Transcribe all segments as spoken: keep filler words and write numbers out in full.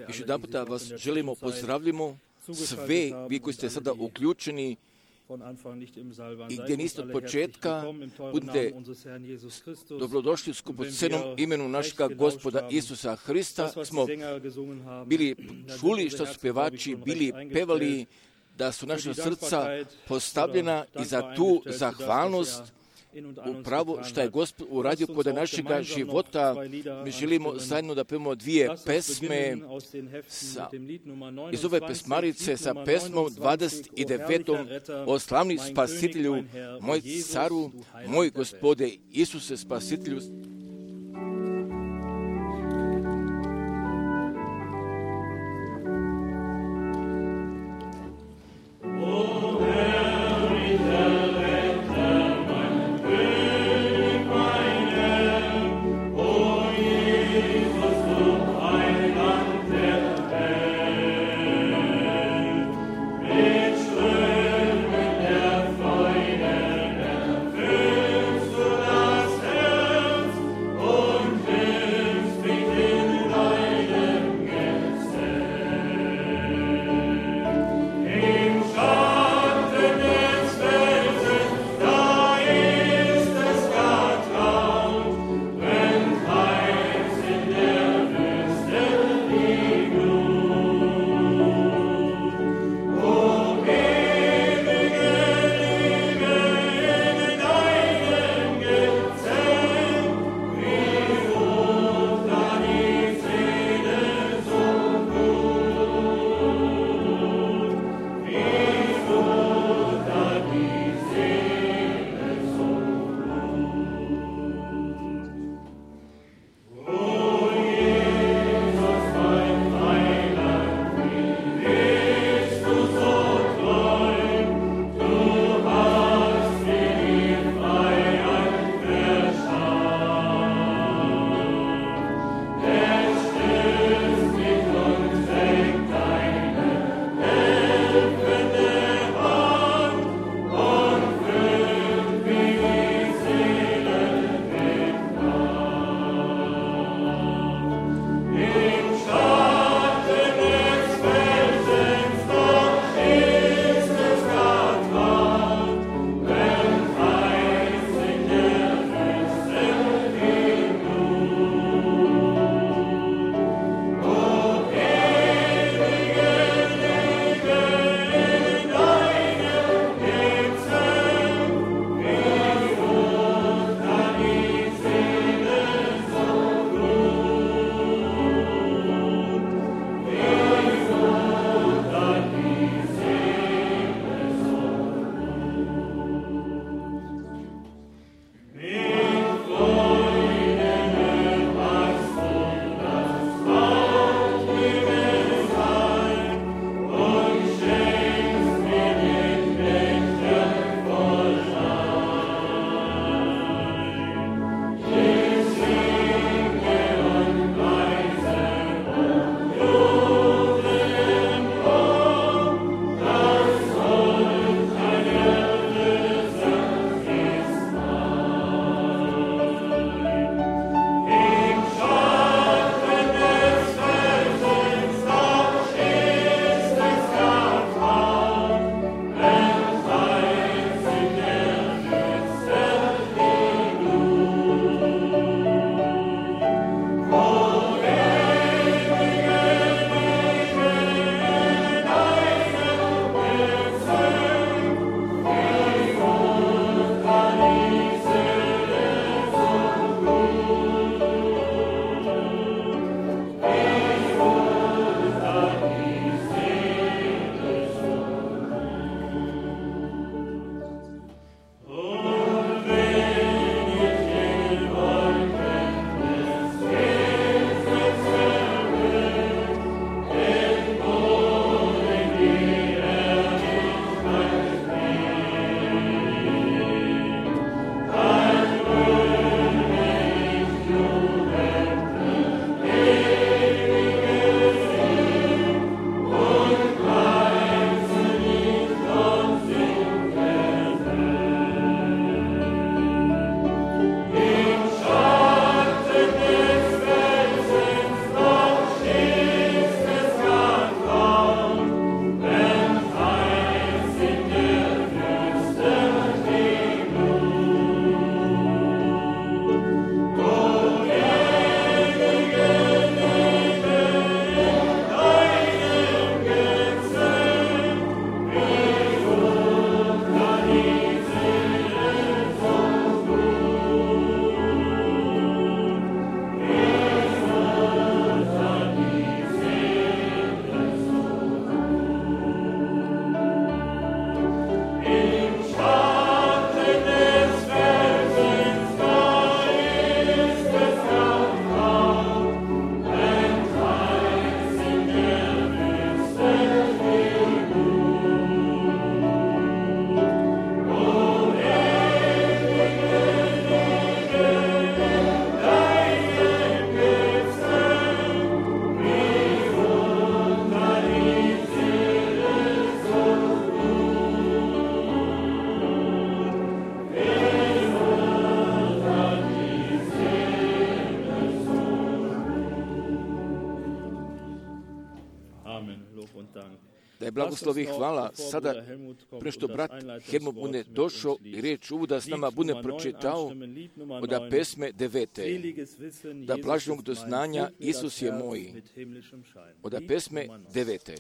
Još jedan puta vas želimo pozdravljamo sve vi koji ste sada uključeni i gdje niste od početka, budite dobrodošli u skupocenom imenu našega Gospoda Isusa Hrista. Smo bili čuli što su pevači bili pevali, da su naša srca postavljena i za tu zahvalnost upravo što je Gospod uradio kod našega života. Mi želimo zajedno da pevamo dvije pesme sa, iz ove pesmarice sa pesmom dvadeset devetom o slavni spasitelju, moj caru, moj Gospode Isuse spasitelju. da je blagoslovi hvala. Sada, prije što brat Helmut bude došao i riječ uvoda s nama bude pročitao od pesme devete. Da blaženog do znanja Isus je moj. Od pesme devete.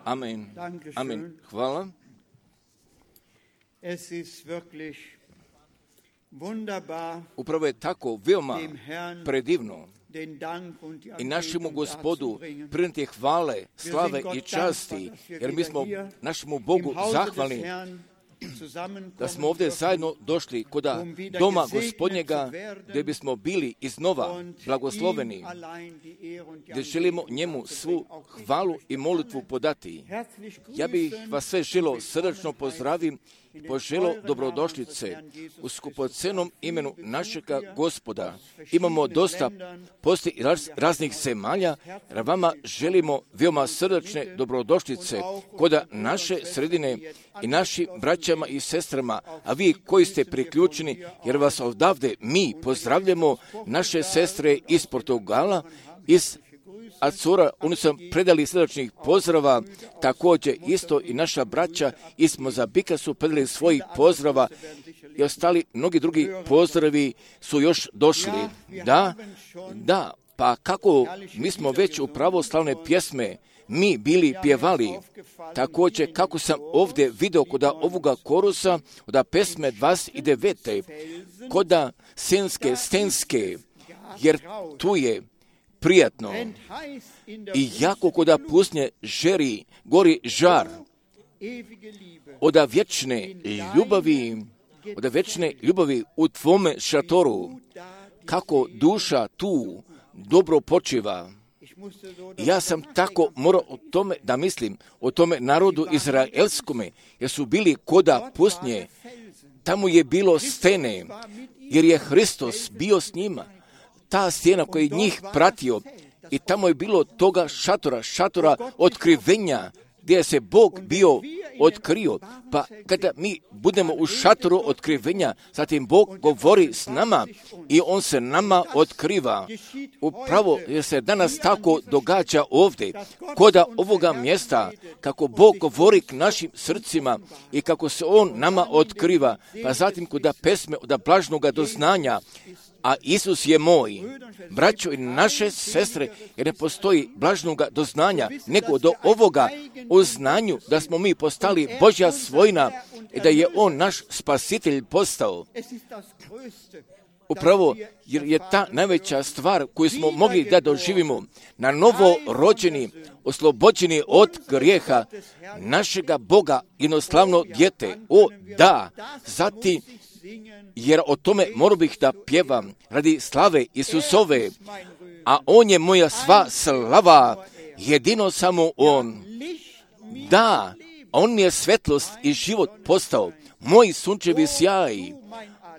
Amen. Amen. Hvala. Upravo je tako veoma predivno i našemu Gospodu prinijeti hvale, slave i časti, jer mi smo našemu Bogu zahvalni da smo ovdje zajedno došli kod doma Gospodnjega, gdje bismo bili iznova blagosloveni, gdje želimo njemu svu hvalu i molitvu podati. Ja bih vas sve želio srdačno pozdravim i poželio dobrodošlice u skupocenom imenu našega Gospoda. Imamo dosta posti raz, raznih zemalja, jer vama želimo veoma srdačne dobrodošlice kod naše sredine i našim braćama i sestrama, a vi koji ste priključeni, jer vas odavde mi pozdravljamo, naše sestre iz Portugala, iz Acora, oni su predali srdačnih pozdrava, također isto i naša braća iz Mozambika su predali svojih pozdrava i ostali mnogi drugi pozdravi su još došli. Da, da, pa kako mi smo već u pravoslavne pjesme mi bili pjevali, također kako sam ovdje video kod ovoga korusa, od pesme dvadeset devet. Kod senske, stenske, jer tu je prijatno i jako koda pusnje žeri, gori žar od vječne ljubavi, od vječne ljubavi u tvome šatoru, kako duša tu dobro počiva. Ja sam tako morao o tome da mislim, o tome narodu izraelskome, jer su bili koda pusnje, tamo je bilo stene, jer je Hristos bio s njima. Ta stjena koja je njih pratio i tamo je bilo toga šatora, šatora otkrivenja, gdje se Bog bio otkrio. Pa kada mi budemo u šatoru otkrivenja, zatim Bog govori s nama i On se nama otkriva. Upravo je se danas tako događa ovdje, koda ovoga mjesta, kako Bog govori k našim srcima i kako se On nama otkriva. Pa zatim koda pesme od blažnoga doznanja, a Isus je moj, braćo i naše sestre, jer ne postoji blažnoga doznanja, nego do ovoga o znanju da smo mi postali Božja svojina i da je On naš spasitelj postao. Upravo jer je ta najveća stvar koju smo mogli da doživimo, na novo rođeni, oslobođeni od grijeha našega Boga, jednoslavno dijete. O da, zatim, jer o tome morao bih da pjevam radi slave Isusove, a On je moja sva slava, jedino samo On. Da, On mi je svetlost i život postao, moj sunčevi sjaj.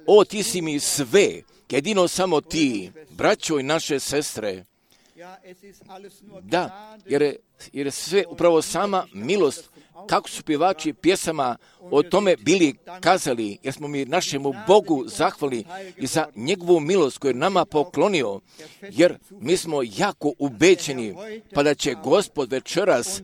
O, ti si mi sve, jedino samo ti, braćo i naše sestre. Da, jer je, jer je sve upravo sama milost, kako su pjevači pjesama o tome bili kazali, jer smo mi našemu Bogu zahvali i za njegovu milost koju je nama poklonio, jer mi smo jako ubeđeni, pa da će Gospod večeras,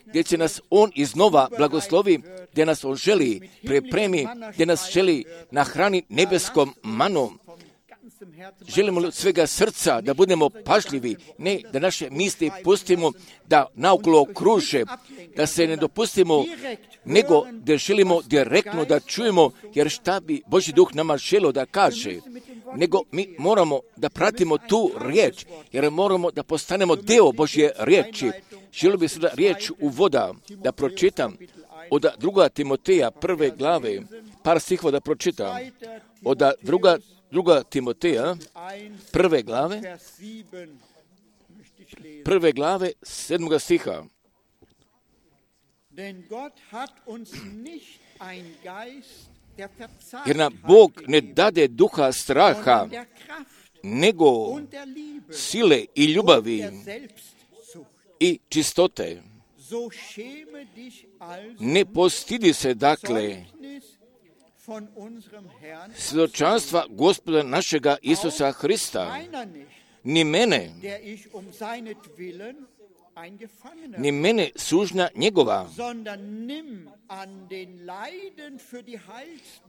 gdje će nas On iznova blagoslovi, gdje nas On želi pripremi, gdje nas želi nahrani nebeskom manom. Želimo li od svega srca da budemo pažljivi, ne da naše misli pustimo da naokolo kruže, da se ne dopustimo, nego da želimo direktno da čujemo, jer šta bi Božji duh nama želio da kaže, nego mi moramo da pratimo tu riječ, jer moramo da postanemo deo Božje riječi. Želio bi sada riječ uvoda da pročitam od druga Timoteja prve glave, par stihova da pročitam, od druga Druga Timoteja, prve glave, prve glave, sedmoga stiha. Jer nam Bog ne dade duha straha, nego sile i ljubavi i čistote. Ne postidi se dakle svjedočanstva Gospoda našega Isusa Hrista, ni mene, ni mene sužnja njegova,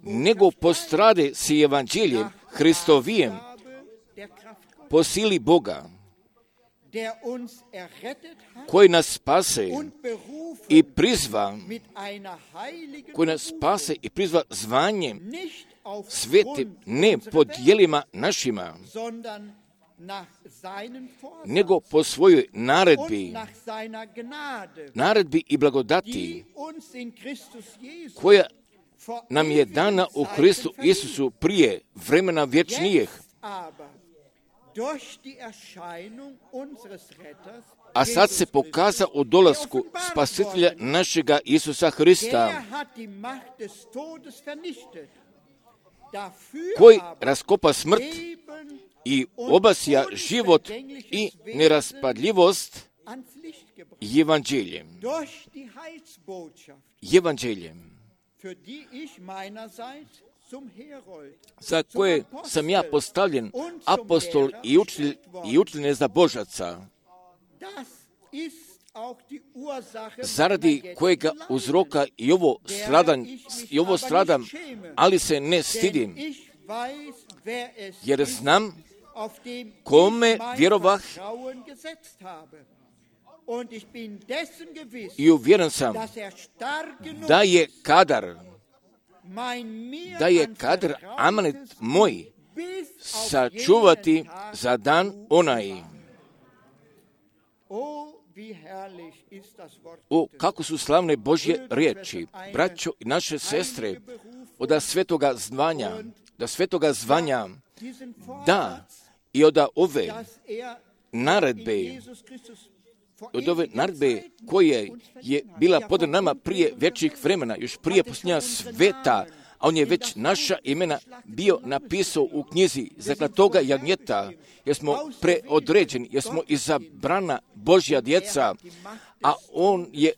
nego postrade si evanđeljem Hristovijem po sili Boga, koji nas spase i prizva, koji nas spase i prizva zvanjem svetim, ne po djelima našima, nego po svojoj naredbi, naredbi i blagodati, koja nam je dana u Kristu Isusu prije vremena vječnijeg, a sad se pokaza u dolasku Spasitelja našega Isusa Hrista, koji raskopa smrt i obasja život i neraspadljivost evanđeljem. Evanđeljem, za koje sam ja postavljen apostol i učitelj i učitelj neznabožaca, zaradi kojega uzroka i ovo stradam, i ovo stradam, ali se ne stidim, jer znam kome vjerovah i uvjeren sam da je kadar, da je kadar amanet moj sačuvati za dan onaj. O, kako su slavne Božje riječi, braćo i naše sestre, od svetoga zvanja, da svetoga zvanja, da i od ove naredbe, od ove naredbe koje je bila pod nama prije večnih vremena, još prije posljednja sveta, a on je već naša imena bio napisao u knjizi zaklatoga jagnjeta, jer smo preodređeni, jer smo izabrana Božja djeca, a on je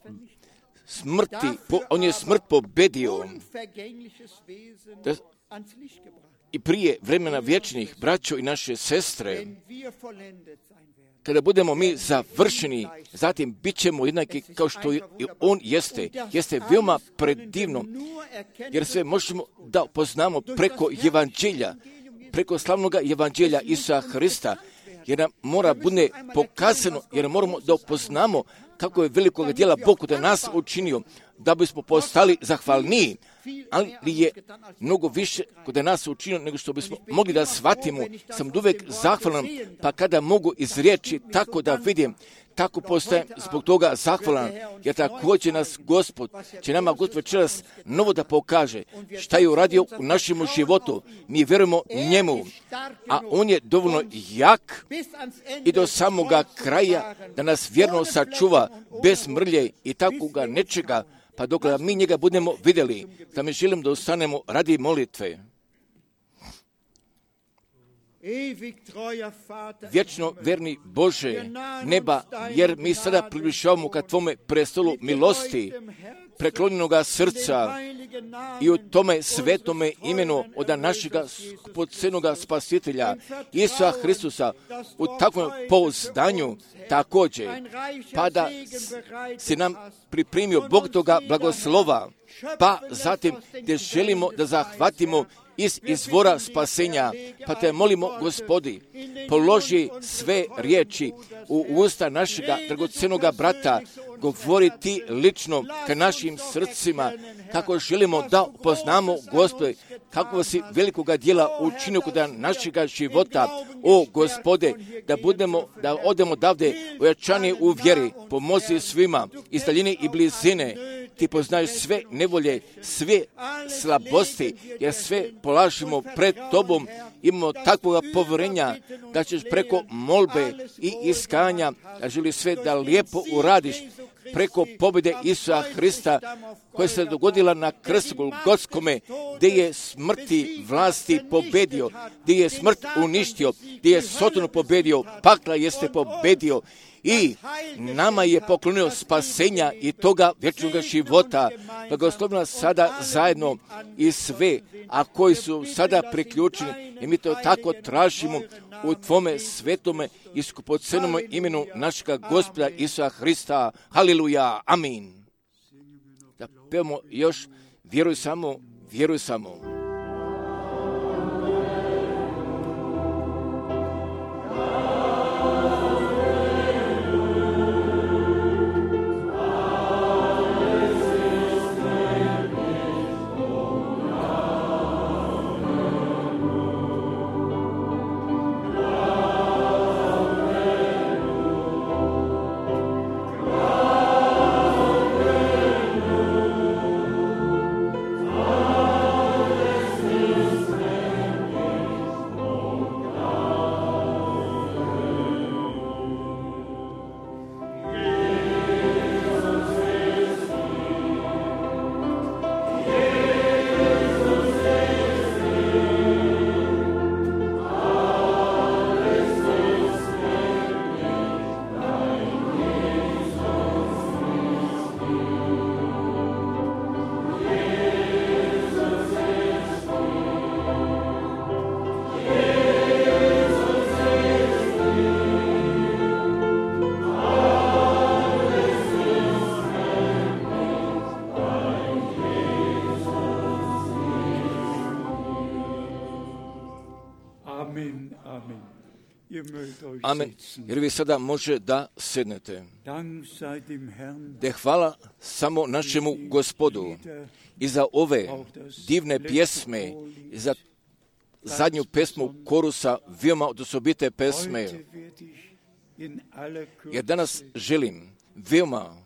smrti, on je smrt pobedio. Da, i prije vremena vječnih, braćo i naše sestre, kada budemo mi završeni, zatim bit ćemo jednaki kao što i on jeste. Jeste veoma predivno, jer sve možemo da poznamo preko evanđelja, preko slavnog evanđelja Isusa Hrista, jer nam mora bude pokazano, jer moramo da poznamo kako je velikog djela Bog kod nas učinio, da bismo postali zahvalniji, ali je mnogo više kod nas učinio nego što bismo mogli da shvatimo. Sam uvijek zahvalan, pa kada mogu iz riječi tako da vidim, tako postajem zbog toga zahvalan, jer također nas Gospod, će nama Gospod večeras novo da pokaže šta je uradio u našem životu. Mi vjerujemo njemu, a on je dovoljno jak i do samoga kraja da nas vjerno sačuva bez mrlje i takoga nečega, pa dok mi njega budemo vidjeli, da mi želim da ostanemo radi molitve. Vječno verni Bože neba, jer mi sada približavamo ka Tvome prestolu milosti, preklonjenoga srca i u tome svetome imenu od našega skupocenoga Spasitelja Isusa Hristusa, u takvom pouzdanju također, pa da se nam pripremio Bog toga blagoslova, pa zatim gdje želimo da zahvatimo iz izvora spasenja, pa te molimo, Gospodi, položi sve riječi u usta našega dragocenoga brata, govori ti lično ka našim srcima, kako želimo da poznamo, Gospode, kako si velikoga djela učinio kod našega života. O, Gospode, da budemo, da odemo davde ojačani u vjeri, pomozi svima iz daljine i blizine. Ti poznaješ sve nevolje, sve slabosti, jer sve polažimo pred Tobom. Imamo takvoga povjerenja da ćeš preko molbe i iskanja, da želi sve da lijepo uradiš, preko pobjede Isusa Hrista koja se dogodila na krstu Golgotskome, gdje je smrti vlasti pobedio, gdje je smrt uništio, gdje je Sotonu pobedio, pakla jeste pobedio i nama je poklonio spasenja i toga vječnog života. Blagoslovi nas sada zajedno i sve, a koji su sada priključeni, i mi to tako tražimo u Tvome svetome i skupocenome imenu našega Gospoda Isusa Hrista. Haleluja, amin. Da pevamo još, vjeruj samo, vjeruj samo. Amen. Jer vi sada može da sednete. De hvala samo našemu Gospodu i za ove divne pjesme, i za zadnju pesmu korusa, veoma osobite pesme. Jer danas želim veoma,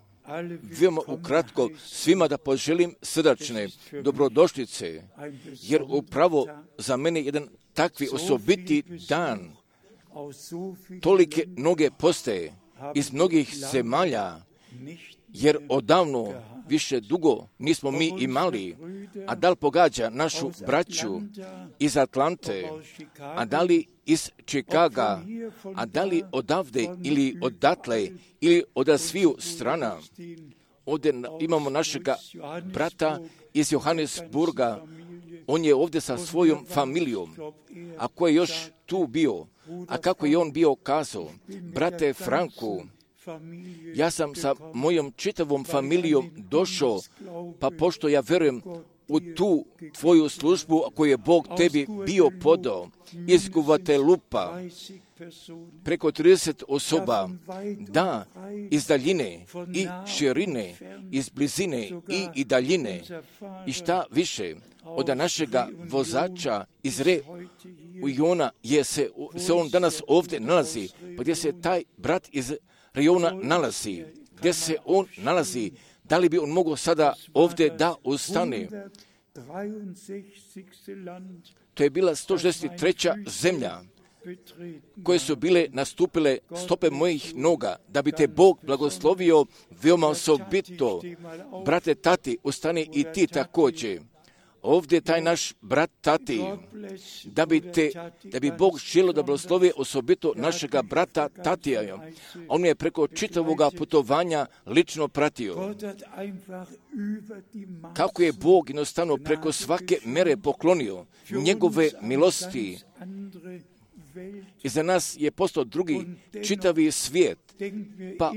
veoma ukratko svima da poželim srdačne dobrodošlice, jer upravo za mene jedan takvi osobiti dan. Tolike noge postaje iz mnogih zemalja, jer odavno više dugo nismo mi imali, a da li pogađa našu braću iz Atlante, a da li iz Čikaga, a da li odavde ili odatle ili od sviju strana. Ovdje imamo našega brata iz Johannesburga, on je ovdje sa svojom familijom, a ko je još tu bio, a kako je on bio kazao, brate Franku, ja sam sa mojom čitavom familijom došao, pa pošto ja verujem u tu tvoju službu koju je Bog tebi bio podao, iz Guatelupa, preko trideset osoba, da, iz daljine i širine, iz blizine i, i daljine, i šta više, od našega vozača iz Re Ujona je se, se on danas ovdje nalazi, pa gdje se taj brat iz Rejona nalazi, gdje se on nalazi, da li bi on mogao sada ovdje da ustane? To je bila sto šezdeset treća zemlja koje su bile nastupile stope mojih noga, da bi te Bog blagoslovio veoma osobito. Brate Tati, ustani i ti također. Ovdje taj naš brat Tati, da bi, te, da bi Bog želio da blagoslovi osobito našega brata Tatija. On je preko čitavoga putovanja lično pratio. Kako je Bog jednostavno preko svake mere poklonio njegove milosti. I za nas je postao drugi čitavi svijet. Pa,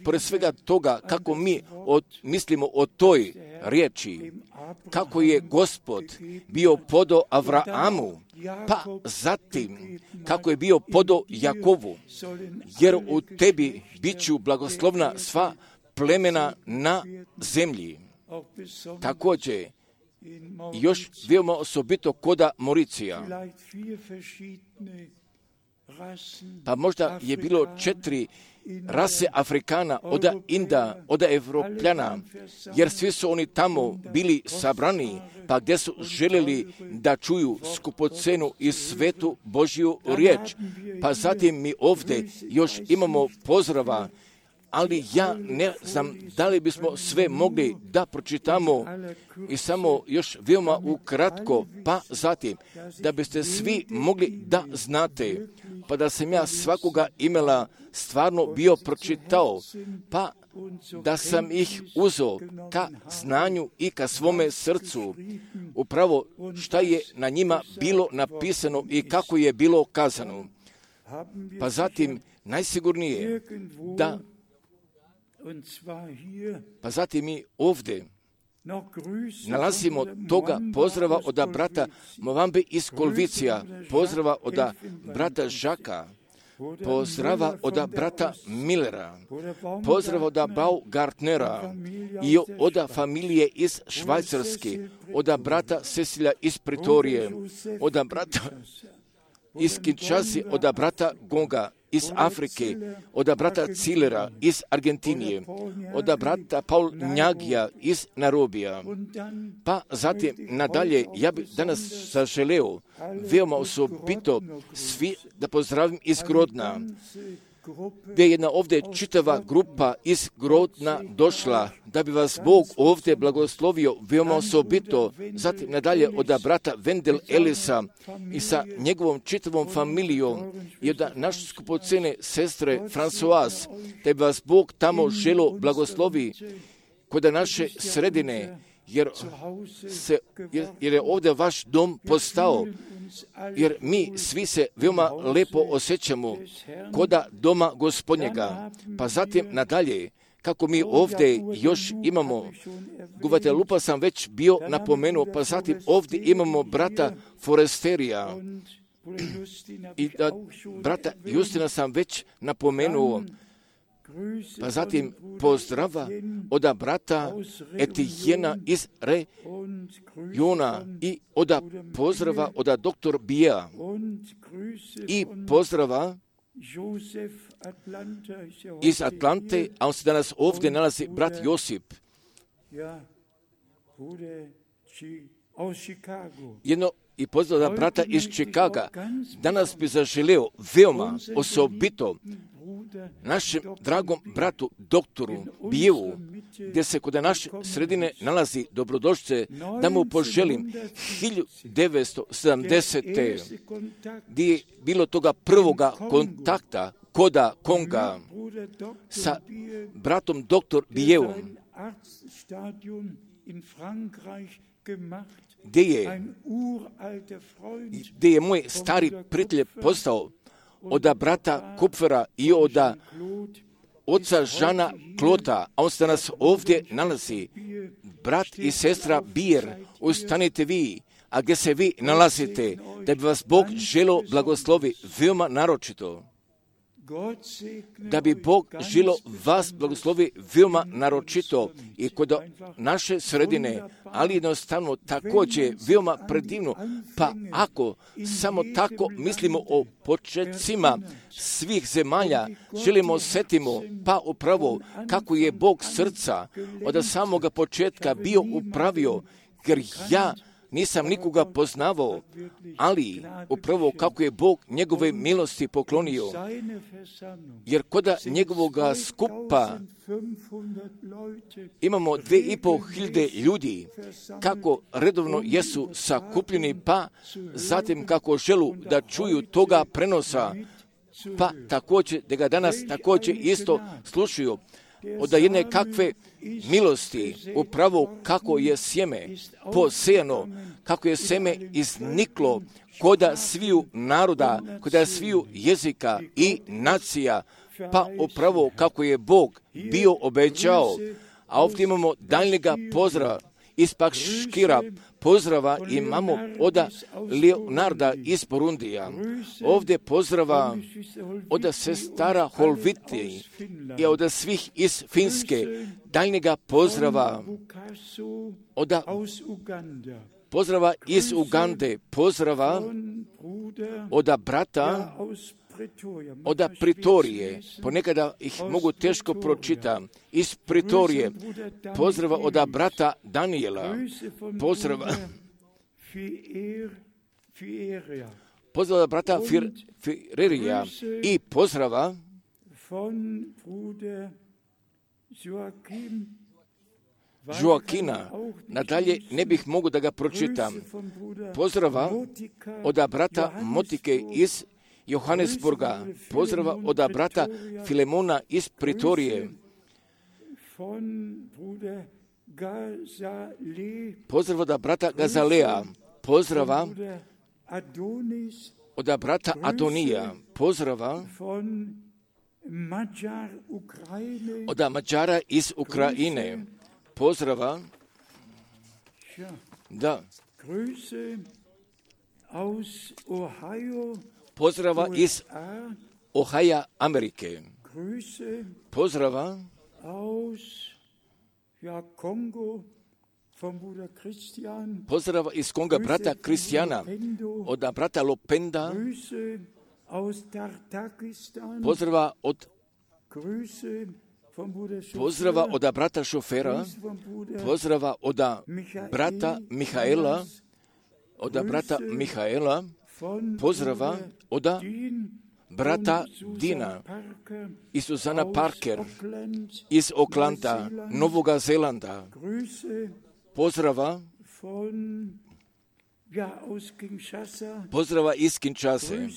pored svega toga, kako mi od, mislimo o toj riječi, kako je Gospod bio podao Avraamu, pa zatim kako je bio podao Jakovu, jer u tebi bit ću blagoslovna sva plemena na zemlji. Također, još veoma osobito koda Mauricija. Pa možda je bilo četiri rase Afrikana, od Inda, od Evropljana, jer svi su oni tamo bili sabrani, pa gdje su željeli da čuju skupocenu i svetu Božju riječ. Pa zatim mi ovdje još imamo pozdrava, ali ja ne znam da li bismo sve mogli da pročitamo i samo još veoma ukratko, pa zatim da biste svi mogli da znate, pa da sam ja svakoga imela stvarno bio pročitao, pa da sam ih uzeo ka znanju i ka svome srcu, upravo šta je na njima bilo napisano i kako je bilo kazano. Pa zatim najsigurnije da Pa zatim mi ovdje nalazimo toga pozdrava od brata Movambe iz Kolvicija, pozdrava od brata Žaka, pozdrava od brata Millera, pozdrava od Baugartnera i od familije iz Švajcarske, od brata Cecilija iz Pretorije, od brata iz Kinshase, od brata Gonga iz Afrike, od brata Cilera iz Argentinije, od brata Paul Njagija iz Nairobija. Pa zatim nadalje, ja bih danas zaželeo veoma osobito svi da pozdravim iz Grodna, gdje je jedna ovdje čitava grupa iz Grodna došla, da bi vas Bog ovdje blagoslovio veoma osobito. Zatim nadalje od brata Wendel Ellisa i sa njegovom čitavom familijom i od naše skupocene sestre Françoise, da bi vas Bog tamo želo blagoslovi kod naše sredine, jer, se, jer, jer je ovdje vaš dom postao, jer mi svi se veoma lepo osjećamo koda doma Gospodnjega. Pa zatim nadalje, kako mi ovdje još imamo, Guatelupa sam već bio napomenuo, pa zatim ovdje imamo brata Foresterija I da, brata Justina sam već napomenuo, pa zatim pozdrava od brata Etijena iz Rejona i od pozdrava od doktor Bija i pozdrava iz Atlante, a on se danas ovdje nalazi, brat Josip. Jedno i pozdrav brata iz Čikaga. Danas bi zaželio veoma osobito našem dragom bratu doktoru Bijevu, gdje se kod naše sredine nalazi dobrodošlice, da mu poželim hiljadu devetsto sedamdesete gdje je bilo toga prvoga kontakta koda Konga sa bratom doktor Bijevom, gdje je, gdje je moj stari prijatelj postao od brata Kupfera i od oca Žana Klota, a on se danas ovdje nalazi. Brat i sestra Bijer, ustanite vi, a gdje se vi nalazite, da bi vas Bog želo blagoslovi veoma naročito. Da bi Bog želo vas blagoslovi veoma naročito i kod naše sredine, ali jednostavno također veoma predivno. Pa ako samo tako mislimo o početcima svih zemalja, želimo setimo, pa upravo kako je Bog srca od samoga početka bio upravio, jer ja nisam nikoga poznavao, ali upravo kako je Bog njegove milosti poklonio, jer koda njegovoga skupa imamo dve i pol hiljade ljudi, kako redovno jesu sakupljeni, pa zatim kako želu da čuju toga prenosa, pa također da ga danas također isto slušaju, od jedne kakve milosti, upravo kako je sjeme posejano, kako je sjeme izniklo koda sviju naroda, koda sviju jezika i nacija, pa upravo kako je Bog bio obećao. A ovdje imamo daljnjega pozdrava iz Pakškira, pozdrava imamo od Leonarda iz Burundija. Ovdje pozdrava od sestara Holviti i od svih iz Finske. Daljnjega pozdrava od pozdrava iz Ugande, pozdrava od brata od Pritorije, ponekada ih mogu teško pročitati, iz Pritorije, pozdrava od brata Daniela, pozdrava pozdrava od brata Firerija i pozdrava Joakina. Nadalje ne bih mogu da ga pročitam. Pozdrava od brata Motike iz Johannesburga, pozdrava od brata Filemona iz Pritorije, pozdrava od brata Gazalea, pozdrava od brata Adonija, pozdrava od Mađara iz Ukrajine, pozdrava da pozdrava iz Ohaja, Amerike. Pozdrava pozdrava iz Konga brata Kristijana, od brata Lopenda, pozdrava od pozdrava od brata Šofera, pozdrava od brata Mihaela, od brata Mihaela, pozdrava od brata Dina i Susana Parker iz Oklanda, Novoga Zelanda. Pozdrava pozdrava iz Kinshase.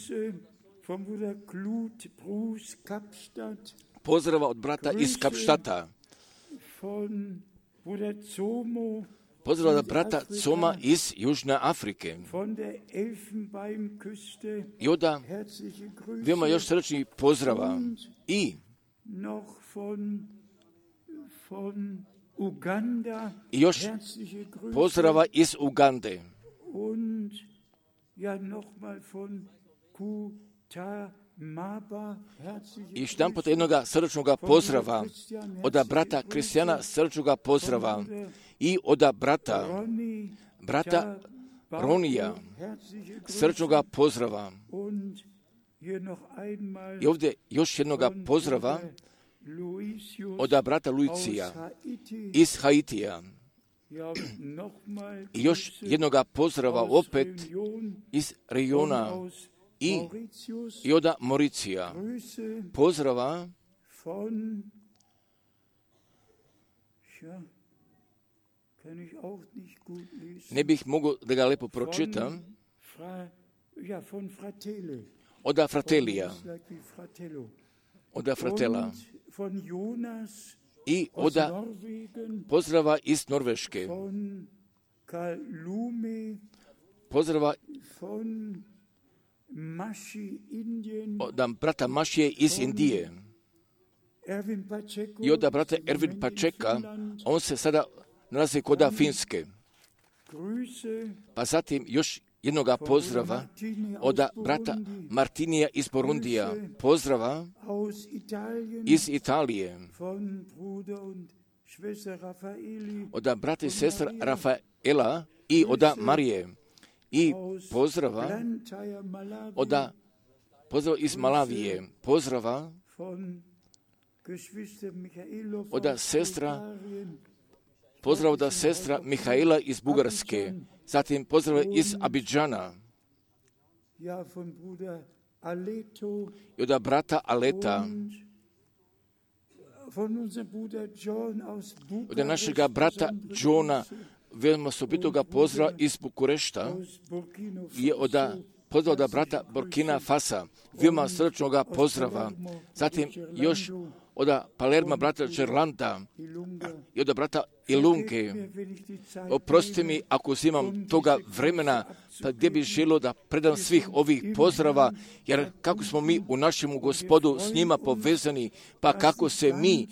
Pozdrava od brata iz Kapštata. Pozdrava od brata Coma iz Južne Afrike. I onda veoma još srčni pozdrava. I i još pozdrava iz Ugande. I još jedan put jednoga srčnoga pozdrava, od brata Kristijana srčnoga pozdrava i od brata, brata Ronija srčnoga pozdrava. I ovdje još jednoga pozdrava od brata Luicija iz Haitija. I još jednoga pozdrava opet iz Rejona i, i od Mauricija. Pozdrava ne bih mogao da ga lepo pročitam. Od Fratelija, od Fratela i od pozdrava iz Norveške, pozdrava od brata Mašije iz Indije i od brata Ervin Pačeka, on se sada nalazi kod Finske. Pa zatim još jednoga pozdrava od brata Martinija iz Burundija, pozdrava iz Italije, od brata i sestra Rafaela i od Marije, i pozdrava od pozdrava iz Malavije, pozdrava od sestra pozdrav od sestra Mihaela iz Bugarske, zatim pozdrav iz Abidžana i od brata Aleta, od našega brata Johna, veoma osobitoga pozdrava iz Bukurešta i od pozdrav od brata Burkina Fasa, veoma srčnoga pozdrava, zatim još od Palerma brata Čerlanda i od brata Ilunke. Oprosti mi ako uzimam toga vremena, pa gdje bih želio da predam svih ovih pozdrava, jer kako smo mi u našem Gospodu s njima povezani, pa kako se mi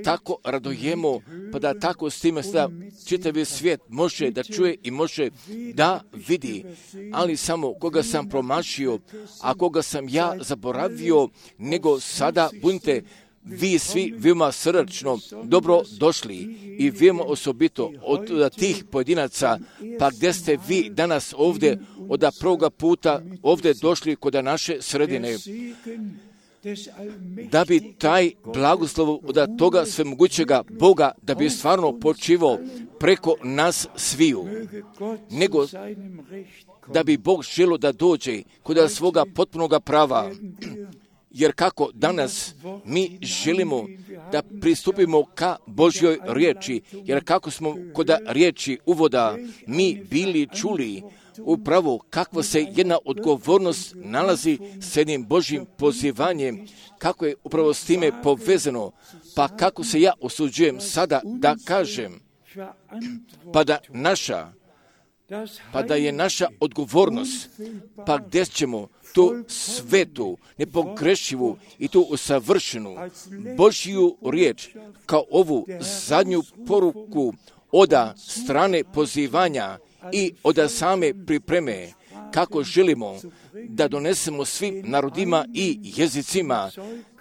tako radujemo, pa da tako s time da čitavi svijet može da čuje i može da vidi, ali samo koga sam promašio, a koga sam ja zaboravio, nego sada budite vi svi veoma srdačno dobro došli i veoma osobito od tih pojedinaca, pa gdje ste vi danas ovdje od prvoga puta ovdje došli kod naše sredine, da bi taj blagoslov od toga svemogućega Boga, da bi stvarno počivao preko nas sviju, nego da bi Bog želio da dođe kod svoga potpunoga prava. Jer kako danas mi želimo da pristupimo ka Božjoj riječi, jer kako smo kod riječi uvoda mi bili čuli upravo kakva se jedna odgovornost nalazi s jednim Božjim pozivanjem, kako je upravo s time povezano, pa kako se ja osuđujem sada da kažem, pa da naša, pa da je naša odgovornost, pa gdje ćemo tu svetu, nepogrešivu i tu usavršenu Božju riječ kao ovu zadnju poruku od strane pozivanja i od same pripreme, kako želimo da donesemo svim narodima i jezicima,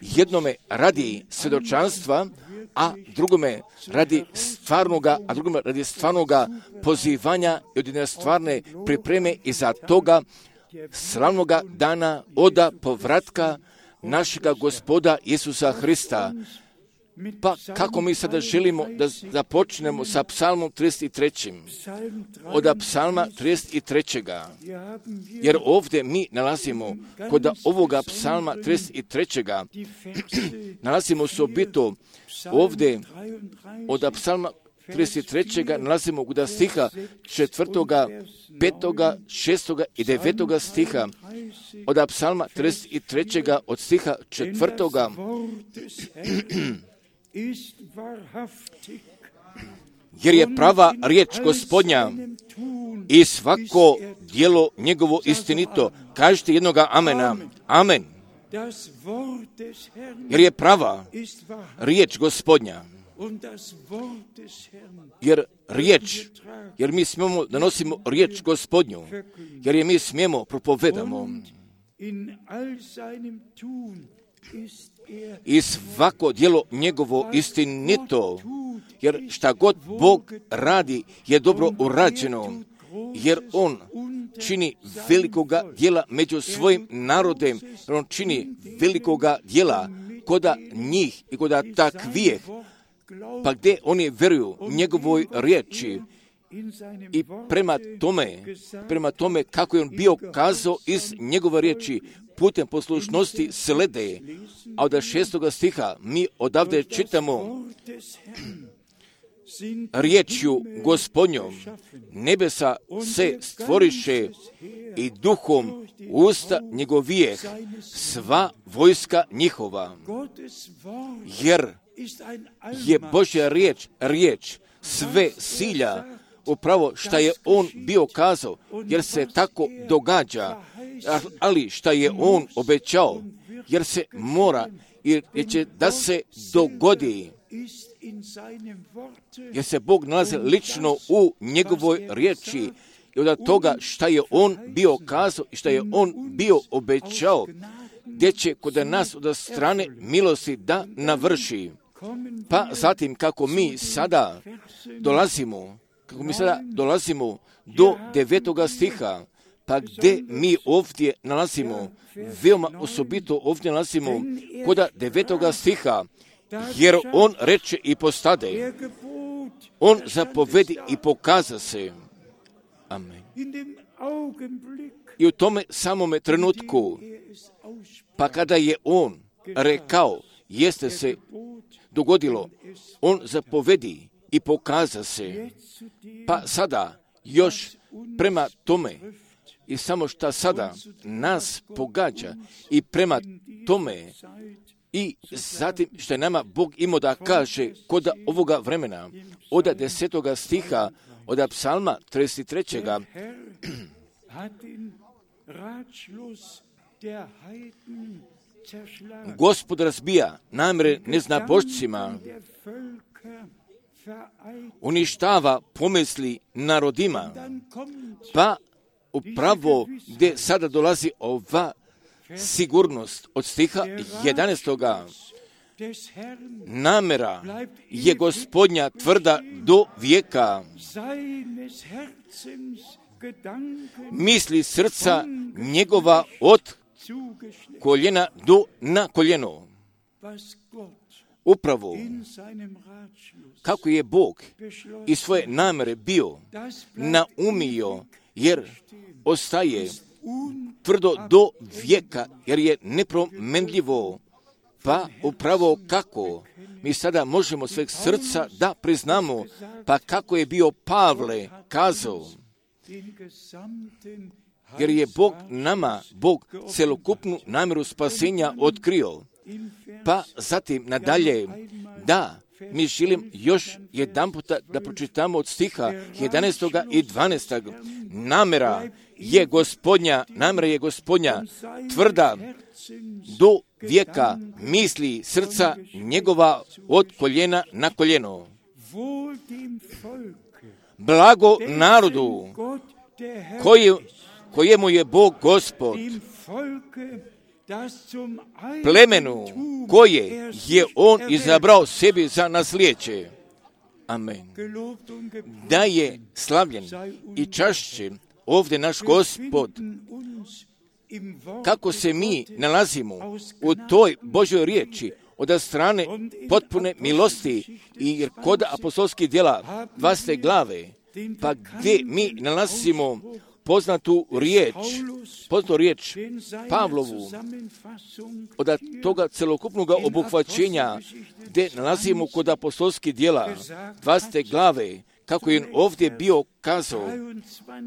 jednome radi svjedočanstva, a drugome radi stvarnoga, a drugome radi stvarnoga pozivanja i od jedne stvarne pripreme i za toga slavnoga dana od povratka našega Gospoda Isusa Hrista. Pa kako mi sada želimo da započnemo sa psalmom trideset tri. Od psalma trideset tri. Jer ovdje mi nalazimo kod ovoga psalma trideset tri. nalazimo osobito ovdje od psalma trideset tri. nalazimo kod stiha četvrtoga, petoga, šestoga i devetoga stiha. Od psalma trideset tri. od stiha četvrtoga. Jer je prava riječ Gospodnja i svako djelo njegovo istinito. Kažite jednoga amena. Amen. Jer je prava riječ Gospodnja. Jer riječ jer mi smijemo da nosimo riječ Gospodnju, jer je mi smijemo propovedamo. I svako djelo njegovo istinito, jer šta god Bog radi je dobro urađeno, jer On čini velikoga djela među svojim narodem, jer On čini velikoga djela koda njih i koda takvijeh, pa gdje oni vjeruju njegovoj riječi. I prema tome, prema tome kako je on bio kazao iz njegove riječi, putem poslušnosti slede, a od šestoga stiha mi odavde čitamo riječju Gospodnjom nebesa se stvoriše i duhom usta njegovijeh sva vojska njihova, jer je Božja riječ, riječ sve silja, upravo šta je on bio kazao, jer se tako događa, ali šta je on obećao, jer se mora, jer će da se dogodi, jer se Bog nalazi lično u njegovoj riječi i od toga šta je on bio kazao i šta je on bio obećao, gdje će kod nas od strane milosti da navrši. Pa zatim kako mi sada dolazimo, kako mi sada dolazimo do devetoga stiha, pa gdje mi ovdje nalazimo, veoma osobito ovdje nalazimo koda devetoga stiha, jer on reče i postade, on zapovedi i pokaza se. Amen. I u tome samome trenutku, pa kada je on rekao, jeste se dogodilo, on zapovedi i pokaza se. Pa sada još prema tome i samo šta sada nas pogađa i prema tome i zatim što je nama Bog imao da kaže kod ovoga vremena, od desetoga stiha, od psalma trideset trećega Gospod razbija namjere neznabošcima, uništava pomisli narodima, pa upravo gdje sada dolazi ova sigurnost od stiha jedanaestoga. Namjera je Gospodnja tvrda do vijeka. Misli srca njegova od koljena do na koljeno. Upravo kako je Bog i svoje namjere bio naumio, jer ostaje tvrdo do vijeka, jer je nepromenljivo. Pa upravo kako mi sada možemo sveg srca da priznamo, pa kako je bio Pavle kazao, jer je Bog nama, Bog celokupnu namjeru spasenja otkrio. Pa zatim nadalje, da, mi želim još jedan puta da pročitamo od stiha jedanaestoga i dvanaestog. Namjera je Gospodnja, namjera je Gospodnja tvrda do vijeka, misli srca njegova od koljena na koljeno. Blago narodu koji, kojemu je Bog Gospod, plemenu koje je on izabrao sebi za nasljeđe. Amen. Da je slavljen i čašćen ovdje naš Gospod, kako se mi nalazimo u toj Božoj riječi od strane potpune milosti i kod apostolskih djela dvasete glave, pa gdje mi nalazimo poznatu riječ, poznatu riječ Pavlovu, od toga celokupnog obuhvaćenja gdje nalazimo kod apostolskih djela dvasete glave, kako je on ovdje bio kazao,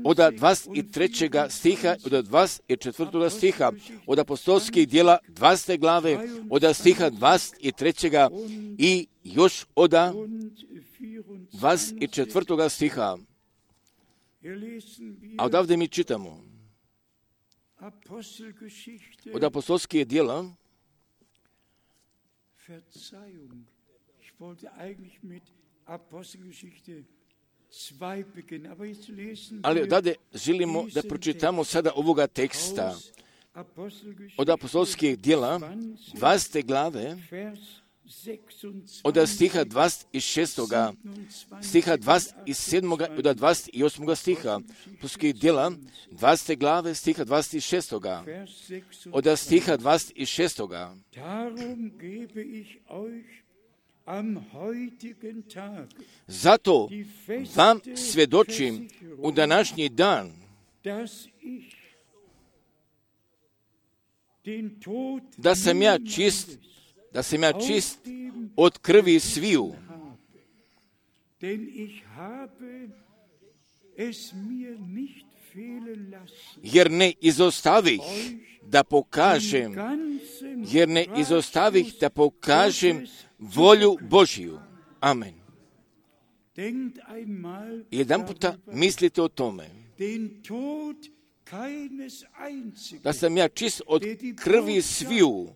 od dvadeset trećega stiha, od dvadeset četvrtog stiha, od apostolskih djela dvasete glave, od stiha dvadeset trećega i još od dvadeset četvrtog stiha. A odavde mi čitamo od apostolskih djela, Ali odavde želimo da pročitamo sada ovoga teksta od apostolskih djela, dvadesete glave, od stiha dvadeset šest. stiha dvadeset sedam. i od dvadeset osam. stiha. Apostolskih djela, dvadesete glave, stiha dvadeset šest. od stiha dvadeset šest. Zato vam svjedočim u današnji dan da sam ja čist, da sam ja čist od krvi sviju. Jer ne izostavih da pokažem, jer ne izostavih da pokažem volju Božiju. Amen. Jedan puta mislite o tome. Da sam ja čist od krvi sviju,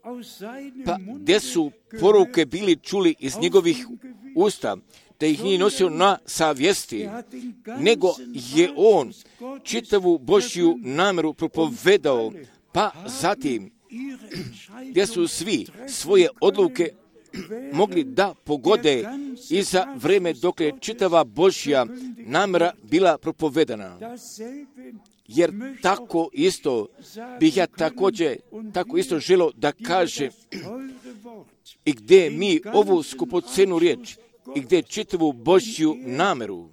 pa gdje su poruke bili čuli iz njegovih usta, da ih nije nosio na savjesti, nego je on čitavu Božju namjeru propovedao, pa zatim gdje su svi svoje odluke mogli da pogode i za vrijeme dok je čitava Božja namjera bila propovedana. Jer tako isto bih ja također, tako isto želio da kažem i gdje mi ovu skupocenu riječ i gdje čitavu Božju namjeru,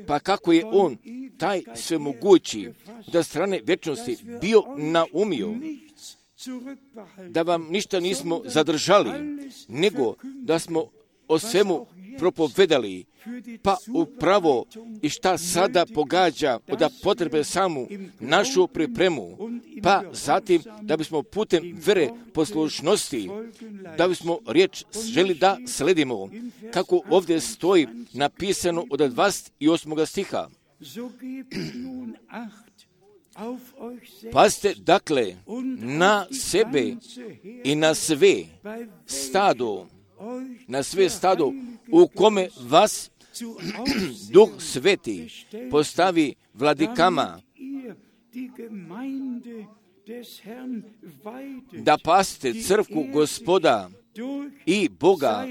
pa kako je on, taj svemogući, da strane vječnosti bio naumio, da vam ništa nismo zadržali, nego da smo o svemu propovedali, pa upravo i šta sada pogađa od potrebe samu našu pripremu, pa zatim da bismo putem vere poslušnosti, da bismo riječ želi da sledimo, kako ovdje stoji napisano od dvadeset osam. stiha. Pazite dakle na sebe i na sve stado, na sve stado u kome vas Duh Sveti postavi vladikama, da pastite crkvu Gospoda i Boga,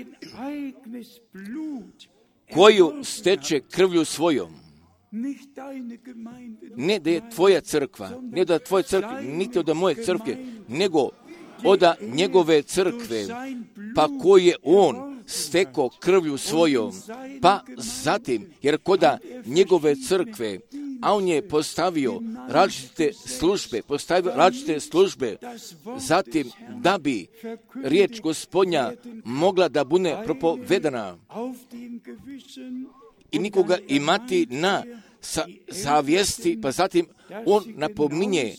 koju steče krvlju svojom. Ne da je tvoja crkva, ne da je tvoja crkva, niti od moje crkve, nego od njegove crkve, pa koje je on stekao krvlju svojom, pa zatim, jer koda njegove crkve, a on je postavio različite službe, postavio različite službe, zatim da bi riječ Gospodnja mogla da bude propovedana i nikoga imati na sa, savjesti, pa zatim on napominje,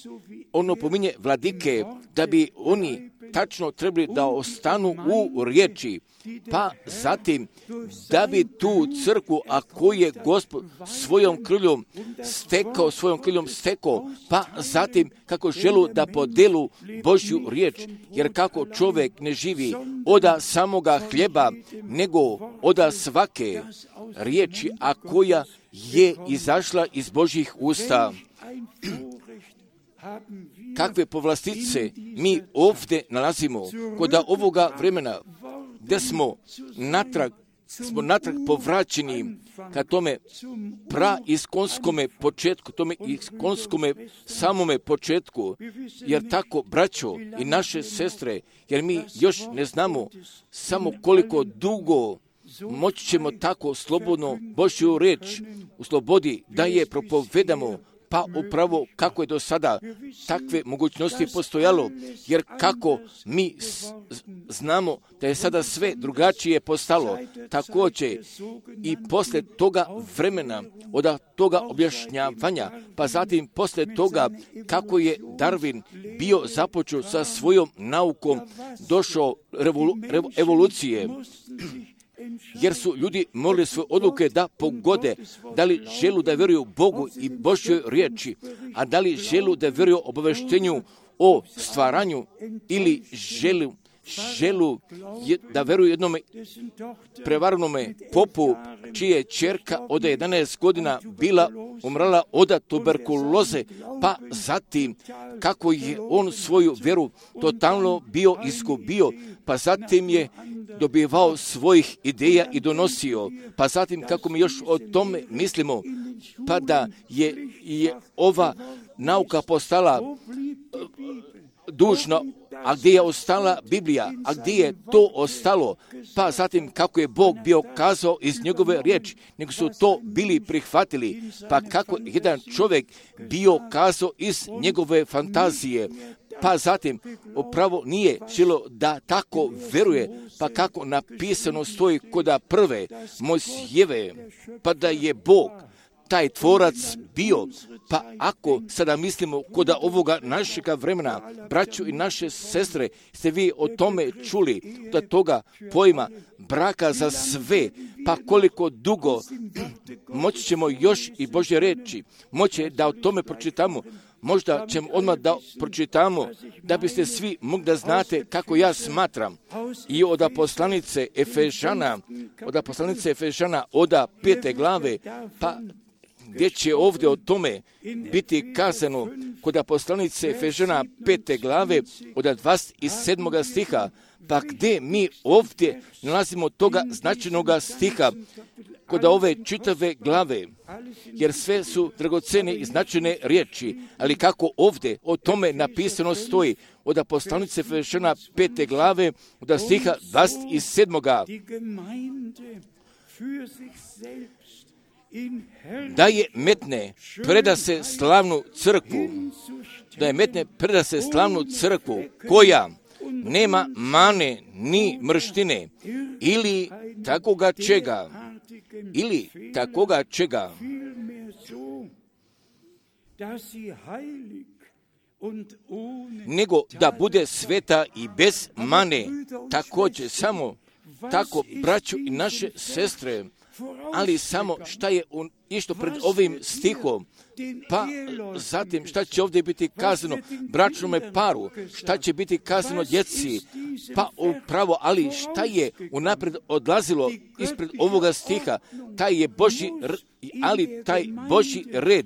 on napominje vladike da bi oni tačno trebali da ostanu u riječi, pa zatim da bi tu crkvu, a koju je Gospod svojom krvljom stekao, svojom krvljom stekao, pa zatim kako želu da podelu Božju riječ, jer kako čovjek ne živi od samoga hljeba, nego od svake riječi, a koja je izašla iz Božjih usta. Kakve povlastice mi ovdje nalazimo kod ovoga vremena, gdje smo natrag, smo natrag povraćeni ka tome praiskonskome početku, tome iskonskome samome početku, jer tako, braćo i naše sestre, jer mi još ne znamo samo koliko dugo moći ćemo tako slobodno Božju riječ u slobodi da je propovedamo, pa upravo kako je do sada takve mogućnosti postojalo, jer kako mi znamo da je sada sve drugačije postalo, također i poslije toga vremena, od toga objašnjavanja, pa zatim poslije toga kako je Darwin bio započeo sa svojom naukom, došao revolu, revo, evolucije, jer su ljudi morali svoje odluke da pogode, da li želu da vjeruju Bogu i Božjoj riječi, a da li želu da vjeruju obaveštenju o stvaranju ili želu, želu da veruju jednom prevarnome popu, čije ćerka od jedanaest godina bila umrala od tuberkuloze, pa zatim kako je on svoju vjeru totalno bio izgubio, pa zatim je dobivao svojih ideja i donosio, pa zatim kako mi još o tome mislimo, pa da je, je ova nauka postala dužna, a gdje je ostala Biblija, a gdje je to ostalo, pa zatim kako je Bog bio kazao iz njegove riječi, nego su to bili prihvatili, pa kako jedan čovjek bio kazao iz njegove fantazije, pa zatim upravo nije želo da tako veruje, pa kako napisano stoji koda prve Mojsijeve, pa da je Bog taj tvorac bio, pa ako sada mislimo koda ovoga našega vremena, braću i naše sestre, ste vi o tome čuli, da toga pojma braka za sve, pa koliko dugo moći ćemo još i Božje reći, moće da o tome pročitamo, možda ćemo odmah da pročitamo, da biste svi mogli da znate kako ja smatram. I od poslanice Efežana, od poslanice Efežana, od pete glave, pa gdje će ovdje o tome biti kazano kod poslanice Efežana pete glave od dvadeset sedmog stiha, pa gdje mi ovdje nalazimo toga značajnog stiha kod ove čitave glave, jer sve su dragocene i značajne riječi, ali kako ovdje o tome napisano stoji od poslanice Efežana pete glave od stiha dvadeset sedmog da je metne preda se slavnu crkvu, da je metne preda se slavnu crkvu koja nema mane ni mrštine ili takoga čega, ili takoga čega, nego da bude sveta i bez mane, također samo tako, braću i naše sestre, ali samo šta je un, išto pred ovim stihom, pa zatim šta će ovdje biti kazano bračnome paru, šta će biti kazano djeci, pa upravo, ali šta je unapred odlazilo ispred ovoga stiha, taj je Božji, ali taj Božji red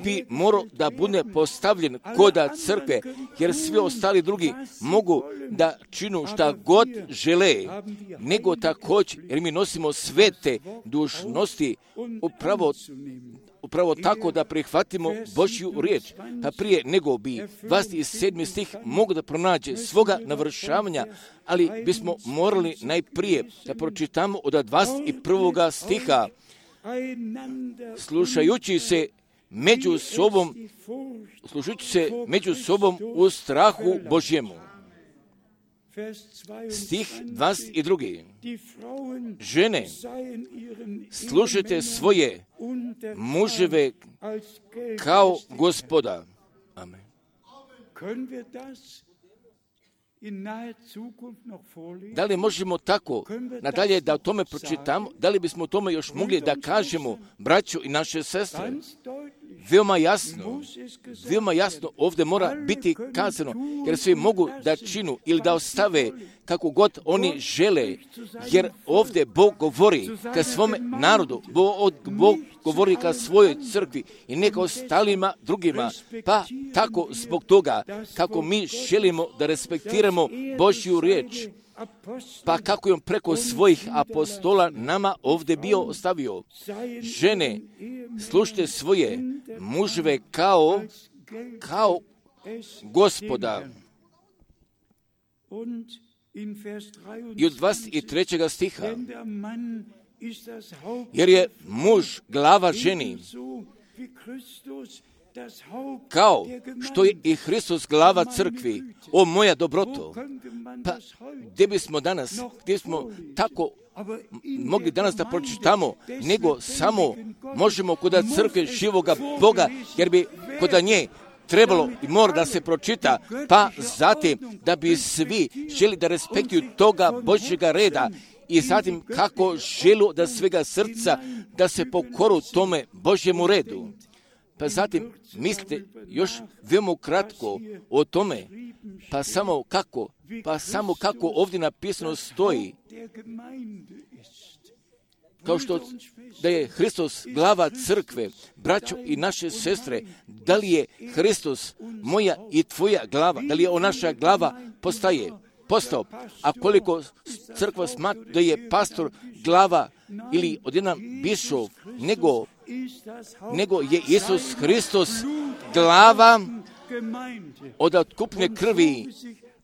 bi morao da bude postavljen koda crkve, jer svi ostali drugi mogu da činu šta god žele, nego također, jer mi nosimo svete dužnosti, upravo upravo tako da prihvatimo Božju riječ, pa prije nego bi dvadeset sedmi stih mogu da pronađe svoga navršavanja, ali bismo morali najprije da pročitamo od dvadeset prvog stiha, slušajući se među sobom, slušajući se među sobom u strahu Božjemu. Stih dvadeset drugi. Žene, slušajte svoje muževe kao Gospoda. Amen. Da li možemo tako nadalje da o tome pročitamo? Da li bismo o tome još mogli da kažemo, braćo i naše sestre? Veoma jasno, veoma jasno ovdje mora biti kazano, jer svi mogu da činu ili da ostave kako god oni žele, jer ovdje Bog govori ka svome narodu, Bog, Bog govori ka svojoj crkvi i neka ostalima drugima, pa tako zbog toga kako mi želimo da respektiramo Božju riječ, pa kako je on preko svojih apostola nama ovdje bio ostavio. Žene, slušajte svoje muževe kao, kao Gospoda. I od dvadeset trećeg stiha, jer je muž glava ženi, kao što je i Hristos glava crkvi. O moja dobroto, pa gdje bismo danas, gdje smo tako mogli danas da pročitamo, nego samo možemo kod crkve živoga Boga, jer bi kod nje trebalo i mora da se pročita, pa zatim da bi svi želi da respektuju toga Božjega reda i zatim kako želu da svega srca da se pokoru tome Božjemu redu. Pa zatim mislite još veoma kratko o tome Pa samo kako, pa samo kako ovdje napisano stoji, kao što da je Hristos glava crkve, braćo i naše sestre, da li je Hristos moja i tvoja glava, da li je on naša glava postaje, postao, a koliko crkva smatra da je pastor glava ili odjedan bišov, nego, nego je Isus Hristos glava od otkupne krvi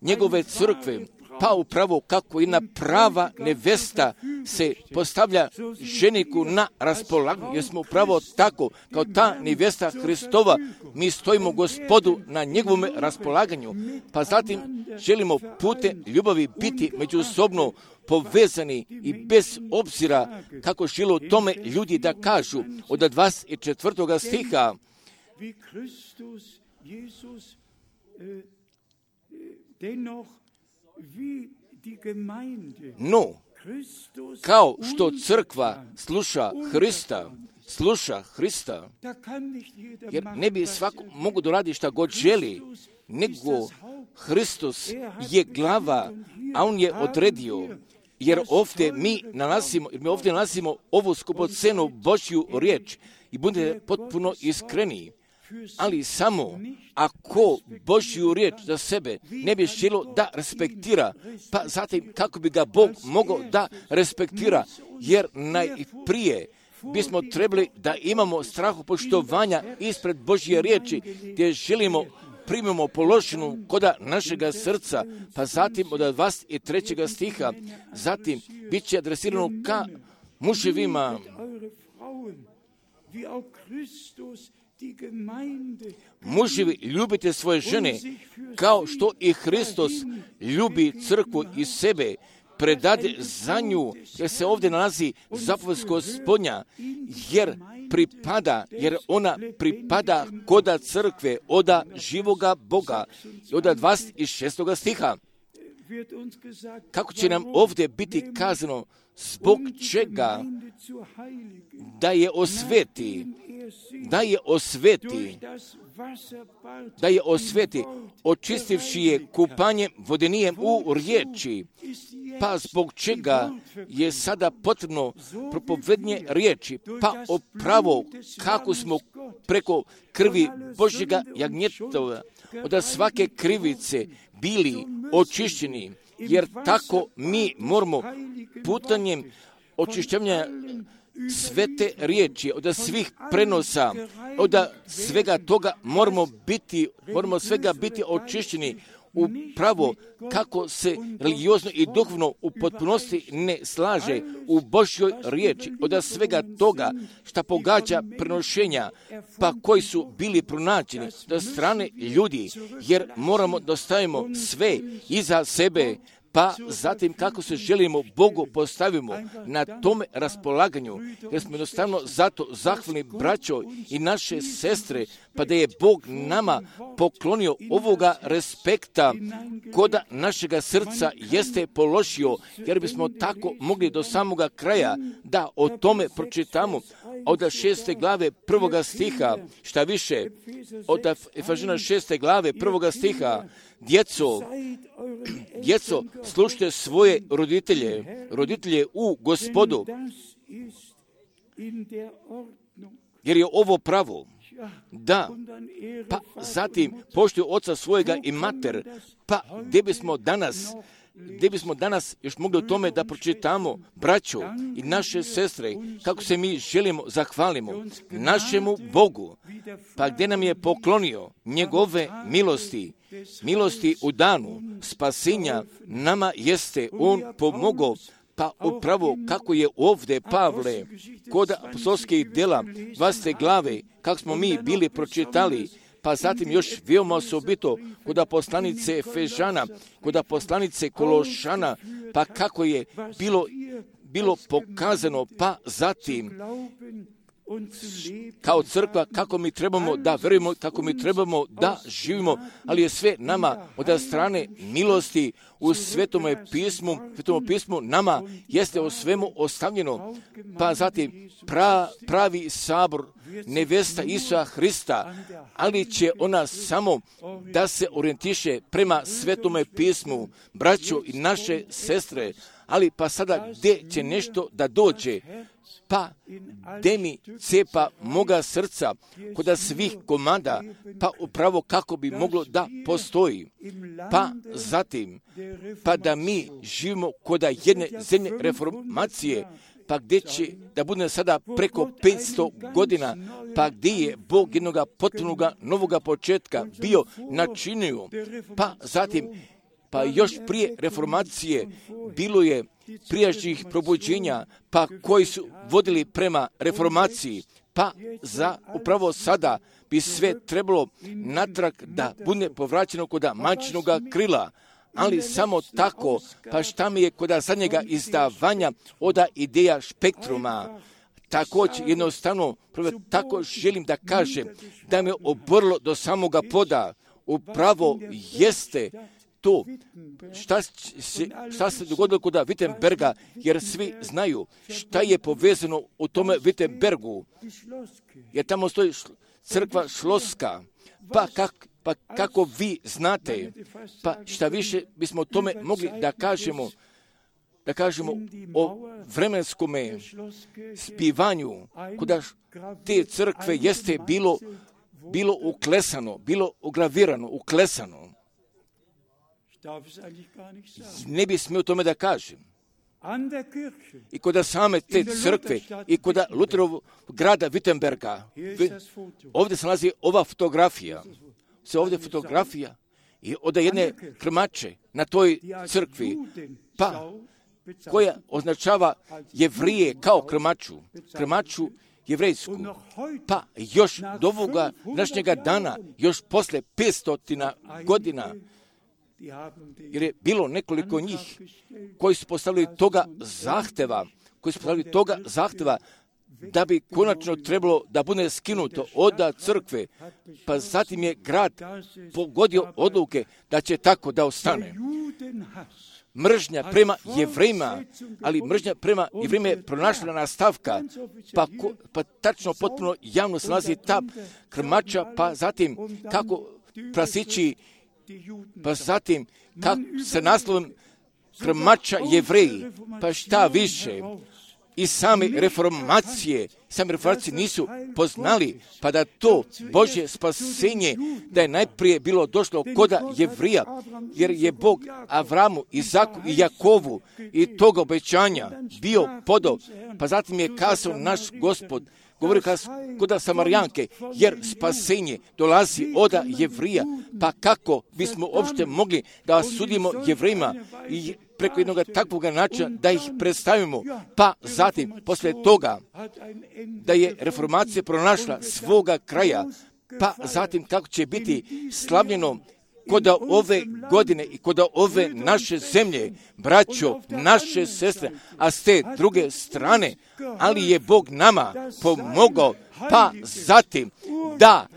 njegove crkve, pa upravo kako jedna prava nevesta se postavlja ženiku na raspolaganju, jer smo upravo tako, kao ta nevesta Hristova, mi stojimo Gospodu na njegovom raspolaganju, pa zatim želimo putem ljubavi biti međusobno povezani i bez obzira kako žele tome ljudi da kažu od dvadeset četvrtog stiha. No, kao što crkva sluša Hrista, sluša Hrista, jer ne bi svako mogu da radi šta god želi, nego Hristos je glava, a on je odredio, jer ovdje mi nalazimo, jer mi ovdje nalazimo ovu skupocenu Božju riječ i budete potpuno iskreni. Ali samo ako Božju riječ za sebe ne bi želo da respektira, pa zatim kako bi ga Bog mogao da respektira, jer najprije bismo trebali da imamo strahopoštovanja ispred Božje riječi, gdje želimo primimo položenu koda našega srca, pa zatim od dvadeset trećeg stiha, zatim bit će adresirano ka muževima. Muževi, ljubite svoje žene, kao što i Hristos ljubi crkvu i sebe, predade za nju, jer se ovdje nalazi zapovest Gospodnja, jer pripada, jer ona pripada koda crkve, oda živoga Boga. I od dvadeset šestog stiha, kako će nam ovdje biti kazano, zbog čega da je osveti, da je osveti, da je osveti, očistivši je kupanjem vodenijem u riječi, pa zbog čega je sada potrebno propovednje riječi, pa opravo kako smo preko krvi Božjega jagnjetova od svake krivice bili očišćeni, jer tako mi moramo putanjem očišćenja svete riječi, od svih prenosa, od svega toga moramo biti, moramo svega biti očišćeni upravo kako se religiozno i duhovno u potpunosti ne slaže u Božjoj riječi, od svega toga šta pogađa prenošenja, pa koji su bili pronađeni do strane ljudi, jer moramo da stavimo sve iza sebe, pa zatim kako se želimo Bogu postavimo na tome raspolaganju, jer smo jednostavno zato zahvalni braćo i naše sestre, pa da je Bog nama poklonio ovoga respekta koda našega srca jeste položio, jer bismo tako mogli do samoga kraja da o tome pročitamo od šeste glave prvoga stiha, šta više, od Efežana šeste glave prvoga stiha, djeco, djeco, slušajte svoje roditelje, roditelje u Gospodu, jer je ovo pravo. Da, pa zatim poštuju oca svojega i mater, pa gdje bismo danas, gdje bismo danas još mogli o tome da pročitamo, braćo i naše sestre, kako se mi želimo, zahvalimo našemu Bogu, pa gdje nam je poklonio njegove milosti, milosti u danu spasenja nama jeste on pomogao, pa upravo kako je ovdje Pavle kod apostolskih djela dvadesete glave, kako smo mi bili pročitali, pa zatim još veoma osobito kod poslanice Efežana, kod poslanice Kološana, pa kako je bilo, bilo pokazano, pa zatim kao crkva, kako mi trebamo da verujemo, kako mi trebamo da živimo, ali je sve nama od strane milosti u Svetome pismu, Svetome pismu nama jeste o svemu ostavljeno, pa zatim pra, pravi sabor, nevesta Isusa Hrista, ali će ona samo da se orijentiše prema Svetome pismu, braćo i naše sestre, ali pa sada gdje će nešto da dođe, pa gdje mi cepa moga srca koda svih komada, pa upravo kako bi moglo da postoji. Pa zatim, pa da mi živimo koda jedne zemlje reformacije, pa gdje će da bude sada preko petsto godina, pa gdje je Bog jednoga potpunoga novoga početka bio načinio, pa zatim, pa još prije reformacije bilo je prijašnjih probuđenja, pa koji su vodili prema reformaciji, pa za upravo sada bi sve trebalo natrag da bude povraćeno koda majčinoga krila, ali samo tako, pa šta mi je koda zadnjega izdavanja oda ideja Spektruma, također jednostavno, prvo tako želim da kažem, da me oborilo do samoga poda, upravo jeste to šta se, šta se dogodilo kod Wittenberga, jer svi znaju šta je povezano u tome Wittenbergu, jer tamo stoji crkva Šloska, pa, kak, pa kako vi znate, pa šta više bismo o tome mogli da kažemo, da kažemo o vremenskome spivanju, kuda te crkve jeste bilo, bilo uklesano, bilo ugravirano, uklesano. Ne bi smio tome da kažem. I kod same te crkve i kod Luterovog grada Wittenberga, ovdje se nalazi ova fotografija, se ovdje fotografija i od jedne krmače na toj crkvi, pa koja označava Jevrije kao krmaču, krmaču jevrejsku, pa još do ovoga današnjega dana, još posle petsto godina, jer je bilo nekoliko njih koji su postavili toga zahteva, koji su postavili toga zahteva da bi konačno trebalo da bude skinuto od crkve, pa zatim je grad pogodio odluke da će tako da ostane. Mržnja prema Jevrejima, ali mržnja prema Jevrejima je pronašla nastavka, pa, ko, pa tačno potpuno javno se nalazi ta krmača, pa zatim kako prasići, pa zatim kako se naslovom krmača Jevreji, pa šta više, i same reformacije, same reformacije nisu poznali, pa da to Božje spasenje, da je najprije bilo došlo koda Jevrija, jer je Bog Avramu, Izaku i Jakovu i toga obećanja bio podao, pa zatim je kazao naš Gospod, govori koda Samarijanke, jer spasenje dolazi od Jevrija, pa kako bismo uopšte mogli da sudimo Jevrejima i preko jednog takvog načina da ih predstavimo, pa zatim, posle toga, da je reformacija pronašla svoga kraja, pa zatim kako će biti slavljeno kod ove godine i kod ove naše zemlje, braćo, naše sestre, a s te druge strane, ali je Bog nama pomogao, pa zatim da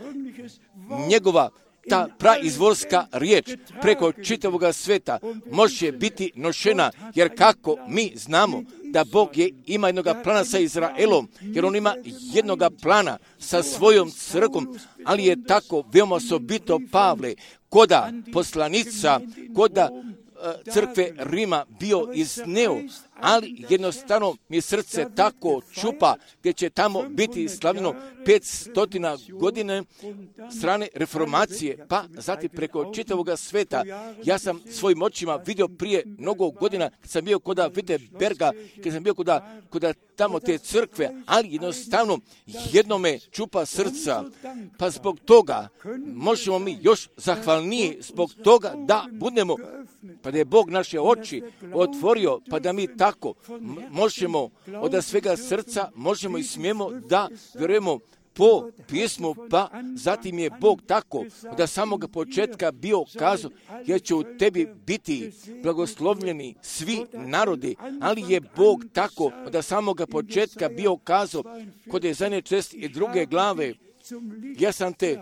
njegova ta praizvorska riječ preko čitavoga sveta može biti nošena, jer kako mi znamo da Bog je, ima jednoga plana sa Izraelom, jer on ima jednoga plana sa svojom crkvom, ali je tako veoma osobito Pavle, koda poslanica, koda crkve Rima bio izneo, ali jednostavno mi srce tako čupa, gdje će tamo biti slavljeno petstotina godine strane reformacije, pa zatim preko čitavog sveta. Ja sam svojim očima vidio prije mnogo godina, kad sam bio koda Wittenberga, kad sam bio koda, koda tamo te crkve, ali jednostavno jednome čupa srca, pa zbog toga možemo mi još zahvalniji zbog toga da budemo, pa da je Bog naše oči otvorio, pa da mi tako možemo od svega srca, možemo i smijemo da vjerujemo po pismu, pa zatim je Bog tako da samoga početka bio kazao, jer će u tebi biti blagoslovljeni svi narodi, ali je Bog tako da samoga početka bio kazao kod je zadnje čest i druge glave, ja sam te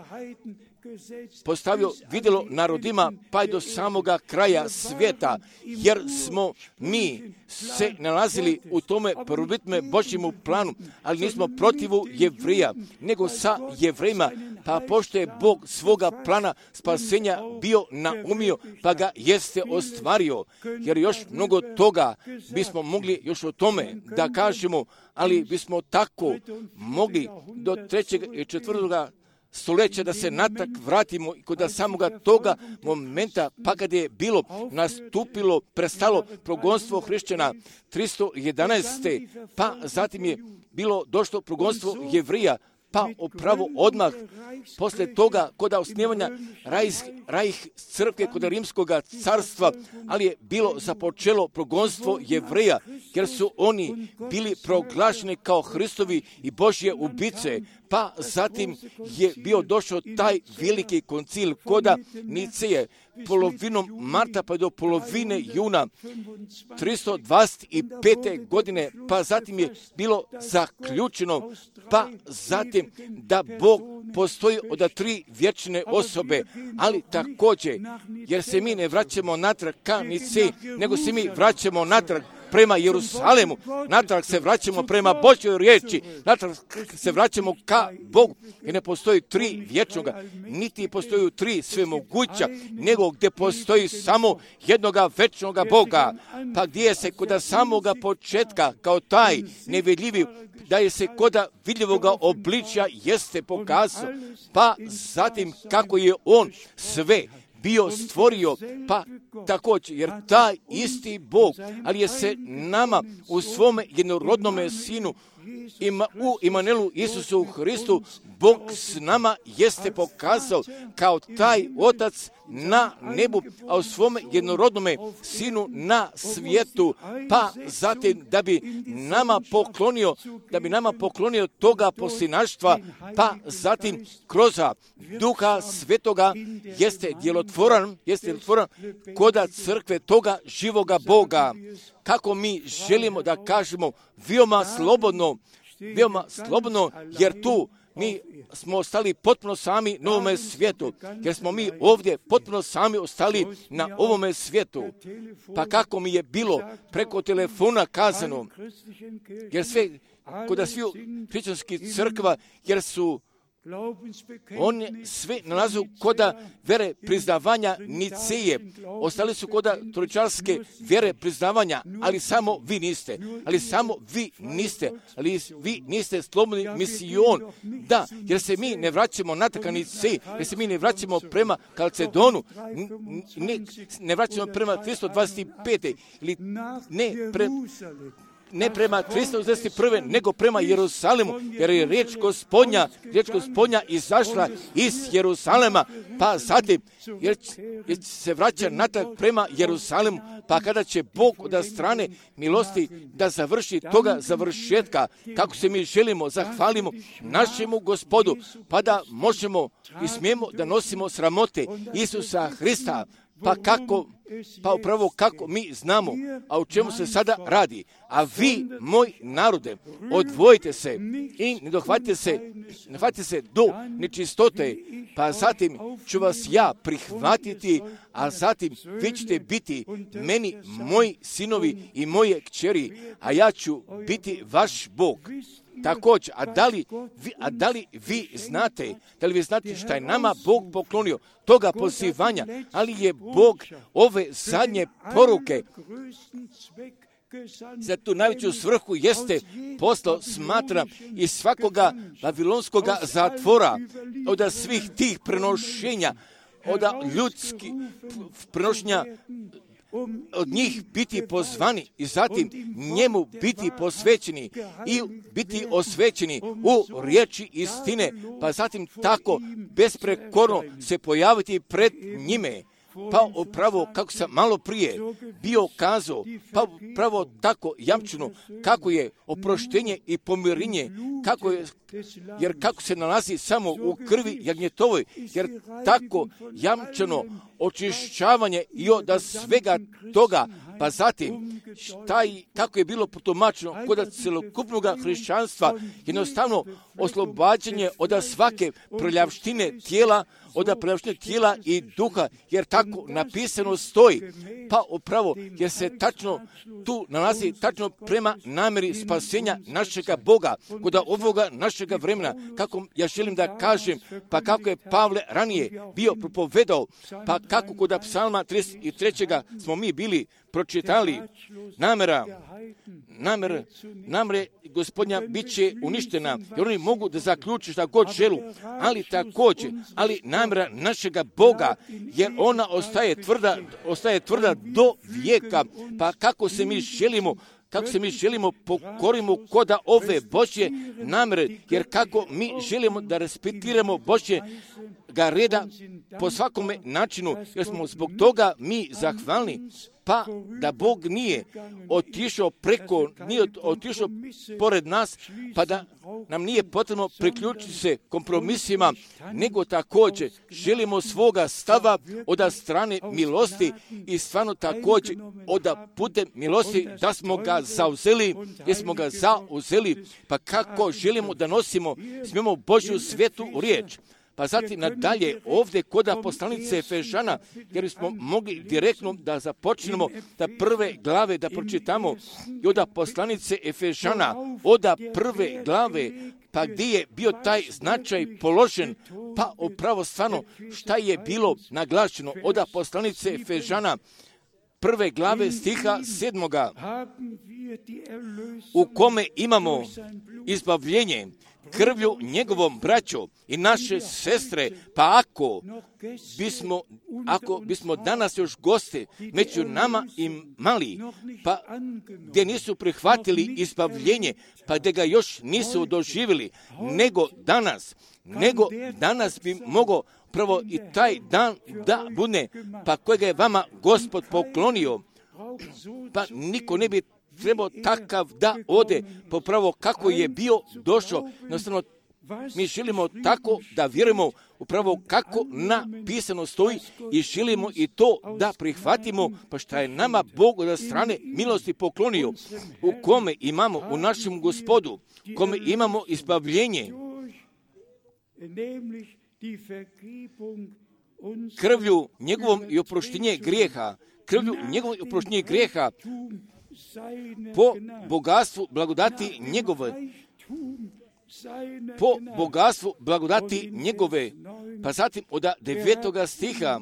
postavio vidjelo narodima pa i do samoga kraja svijeta, jer smo mi se nalazili u tome prvobitme Božjemu planu, ali nismo protivu Jevrija, nego sa Jevrejima, pa pošto je Bog svoga plana spasenja bio naumio, pa ga jeste ostvario, jer još mnogo toga bismo mogli još o tome da kažemo, ali bismo tako mogli do trećeg i četvrtoga stoljeća da se natak vratimo i kod samoga toga momenta, pa kad je bilo nastupilo, prestalo progonstvo hrišćana tristo jedanaeste. pa zatim je bilo došlo progonstvo Jevrija, pa upravo odmah posle toga kod osnivanja rajh, rajh crkve kod Rimskog carstva, ali je bilo započelo progonstvo Jevreja, jer su oni bili proglašeni kao Hristovi i Božje ubice. Pa zatim je bio došao taj veliki koncil koda Niceje, polovinom marta pa do polovine juna tristo dvadeset pete. godine, pa zatim je bilo zaključeno, pa zatim da Bog postoji od tri vječne osobe, ali također, jer se mi ne vraćamo natrag ka Niceji, nego se mi vraćamo natrag prema Jerusalemu, natrag se vraćamo prema Božjoj riječi, natrag se vraćamo ka Bogu, jer ne postoji tri vječnoga, niti postoji tri svemoguća, nego gdje postoji samo jednoga večnoga Boga, pa gdje se kod samoga početka kao taj nevidljivi, da je se kod vidljivoga obličja jeste pokazao, pa zatim kako je on sve bio stvorio, pa također, jer taj isti Bog, ali je se nama u svome jednorodnome sinu, ima, u Imanelu Isusu Hristu, Bog s nama jeste pokazao kao taj Otac na nebu, a u svome jednorodnome sinu na svijetu, pa zatim da bi nama poklonio, da bi nama poklonio toga poslinaštva, pa zatim kroz Duha Svetoga jeste djelotvoran, jeste djelotvoran koda crkve toga živoga Boga. Kako mi želimo da kažemo veoma slobodno, veoma slobodno, jer tu mi smo ostali potpuno sami na ovome svijetu, jer smo mi ovdje potpuno sami ostali na ovome svijetu. Pa kako mi je bilo preko telefona kazano, jer sve, kod svih hrišćanskih crkva, jer su oni sve nalazu koda vere priznavanja Niceje. Ostali su koda trojčarske vere priznavanja, ali samo vi niste. Ali samo vi niste. Ali vi niste slobodni misijon. Da, jer se mi ne vraćamo na taka Niceji, jer se mi ne vraćamo prema Kalcedonu, ne, ne vraćamo prema tristo dvadeset pete ili ne pre, ne prema tristo šezdeset prve. nego prema Jerusalemu, jer je riječ Gospodnja, riječ Gospodnja izašla iz Jerusalema, pa zatim, jer, jer se vraća natrag prema Jerusalemu, pa kada će Bog od strane milosti da završi toga završetka, kako se mi želimo, zahvalimo našemu Gospodu, pa da možemo i smijemo da nosimo sramote Isusa Hrista. Pa kako, pa upravo kako mi znamo, a o čemu se sada radi. A vi, moj narode, odvojite se i ne dohvatite se, ne hvatite se do nečistote, pa zatim ću vas ja prihvatiti, a zatim vi ćete biti meni moji sinovi i moje kćeri, a ja ću biti vaš Bog. Također, a da li vi, a da li vi znate, da li vi znate šta je nama Bog poklonio toga pozivanja, ali je Bog ove zadnje poruke za tu najveću svrhu jeste poslao, smatra, iz svakoga babilonskoga zatvora, od svih tih prenošenja, od ljudskih prenošenja, od njih biti pozvani i zatim njemu biti posvećeni i biti osvećeni u riječi istine, pa zatim tako besprekorno se pojaviti pred njime. pa upravo kako sam malo prije bio kazao, pa upravo tako jamčeno kako je oproštenje i pomirenje, kako je, jer kako se nalazi samo u krvi jagnjetovoj, jer tako jamčeno očišćavanje i od svega toga, pa zatim taj, kako je bilo protumačeno kod celokupnog hrišćanstva, jednostavno oslobađanje od svake prljavštine tijela, od prljavštine tijela i duha, jer tako napisano stoji, pa upravo jer se tačno tu nalazi tačno prema namjeri spasenja našega Boga, kod ovoga našega vremena, kako ja želim da kažem, pa kako je Pavle ranije bio propovedao, pa kako kod psalma trideset tri. smo mi bili pročitali, namjera, namjera, namjera Gospodnja bit će uništena, jer oni mogu da zaključe šta god želu, ali također, ali namjera našega Boga, jer ona ostaje tvrda, ostaje tvrda do vijeka, pa kako se mi želimo kako se mi želimo pokorimo koda ove Božje namjere, jer kako mi želimo da respektiramo Božje ga reda po svakome načinu, jer smo zbog toga mi zahvalni, pa da Bog nije otišao preko, nije otišao pored nas, pa da nam nije potrebno priključiti se kompromisima, nego također želimo svoga stava od strane milosti i stvarno također od putem milosti da smo ga zauzeli, jer smo ga zauzeli, pa kako želimo da nosimo, smijemo Božju svetu riječ. Pa zatim nadalje ovdje kod poslanice Efežana, jer smo mogli direktno da započnemo da prve glave da pročitamo i od poslanice Efežana, od prve glave, pa gdje je bio taj značaj položen, pa upravo stvarno šta je bilo naglašeno od poslanice Efežana, prve glave stiha sedmoga, u kome imamo izbavljenje krvlju njegovom braćo i naše sestre, pa ako bismo, ako bismo danas još goste među nama imali, pa gdje nisu prihvatili izbavljenje, pa gdje ga još nisu doživjeli, nego danas, nego danas bi mogao prvo i taj dan da bude, pa kojega je vama Gospod poklonio, pa niko ne bi trebao takav da ode popravo kako je bio došao. Jednostavno, mi želimo tako da vjerujemo upravo kako napisano stoji i želimo i to da prihvatimo, pa šta je nama Bog od strane milosti poklonio, u kome imamo u našem Gospodu, kome imamo izbavljenje, krvlju njegovom i oproštenje grijeha, krvlju njegovom i oproštenje grijeha, po bogatstvu blagodati njegove, po bogatstvu blagodati njegove, pa zatim od devetoga stiha,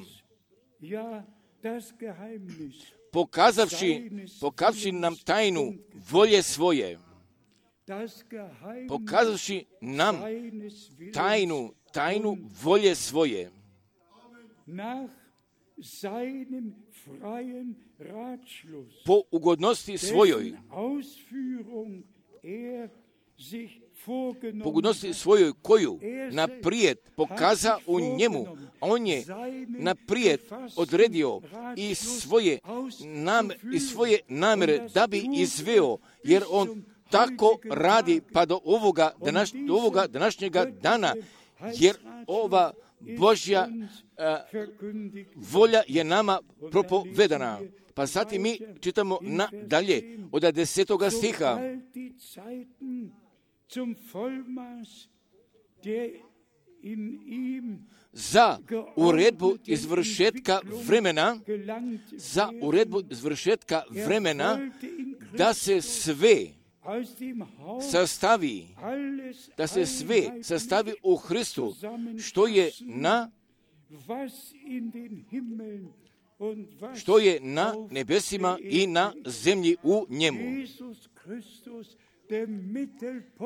pokazavši, pokazavši nam tajnu volje svoje, pokazavši nam tajnu, tajnu volje svoje, po ugodnosti svojoj, po ugodnosti svojoj koju naprijed pokaza u njemu, on je naprijed odredio i svoje, nam, i svoje namjere da bi izveo, jer on tako radi pa do ovoga, današ, do ovoga današnjega dana, jer ova Božja a, volja je nama propovedana. Pa zatim mi čitamo nadalje od desetoga stiha. Za uredbu izvršetka vremena, za uredbu izvršetka vremena, da se sve sastavi, da se sve sastavi u Hristu, što je na što je na nebesima i na zemlji u njemu.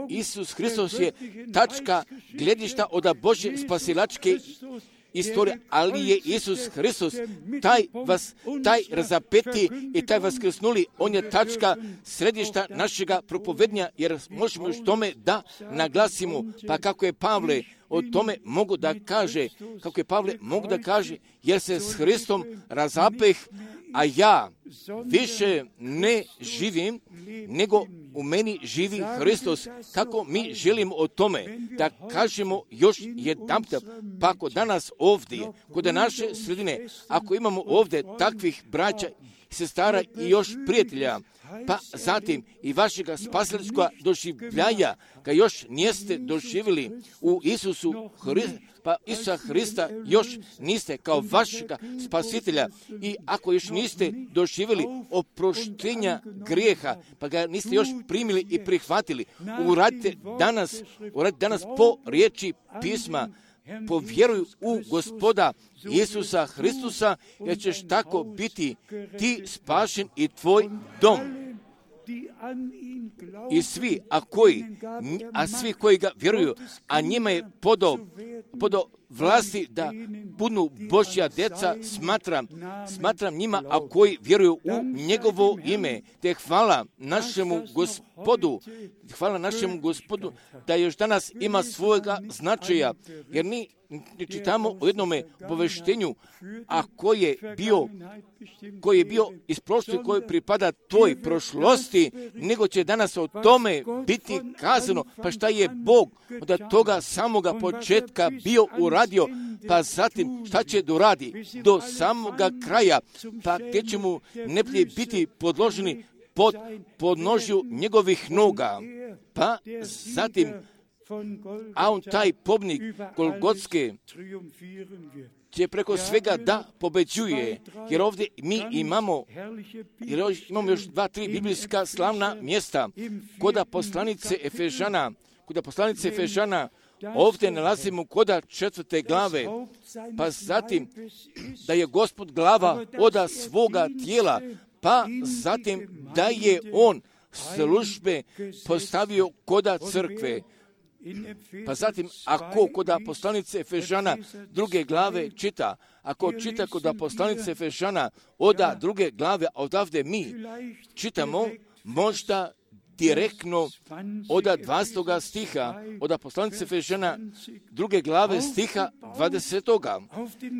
Isus Hristos je tačka gledišta od Božje spasilačke istorije, ali je Isus Hristos taj vas, taj razapeti i taj vaskrsnuli, on je tačka središta našega propovednja, jer možemo još tome da naglasimo, pa kako je Pavle o tome mogu da kaže, kako je Pavle mogu da kaže, jer se s Hristom razapeh, a ja više ne živim, nego u meni živi Hristos. Kako mi želimo o tome da kažemo još jedanput, pa ako danas ovdje, kod naše sredine, ako imamo ovdje takvih braća i sestara i još prijatelja, pa zatim i vašega spasiteljskoga doživljaja, kad još niste doživjeli u Isusu Hristu, pa Isusa Hrista još niste kao vašega spasitelja i ako još niste doživjeli oproštenja grijeha, pa ga niste još primili i prihvatili, uradite danas, uradite danas po riječi pisma, povjeruj u Gospoda Isusa Hristusa, jer ćeš tako biti ti spašen i tvoj dom. I svi, a koji, a svi koji ga vjeruju, a njima je podao, podao vlasti da budu Božja djeca, smatram, smatram njima, a koji vjeruju u njegovo ime, te hvala našemu Gospodu, hvala našemu Gospodu, da još danas ima svojega značaja, jer mi čitamo u jednome obaveštenju, a koji je bio, koji je bio iz prošlosti, koji pripada toj prošlosti, nego će danas o tome biti kazano, pa šta je Bog od toga samoga početka bio uradio, pa zatim šta će doradi do samoga kraja, pa gdje će mu neplje biti podloženi pod podnožju njegovih noga, pa zatim a on taj pobnik Golgotske će preko svega da pobeđuje, jer ovdje mi imamo, jer imamo još dva, tri biblijska slavna mjesta, koda poslanice Efežana, koda poslanice Efežana, ovdje nalazimo koda četvrte glave, pa zatim da je Gospod glava oda svoga tijela, pa zatim da je on službe postavio koda crkve. Pa zatim, ako koda poslanice Efežana druge glave čita, ako čita koda poslanice Efežana oda druge glave, a odavde mi čitamo možda direktno oda dvadesetoga stiha, oda poslanice Efežana druge glave stiha dvadesetoga.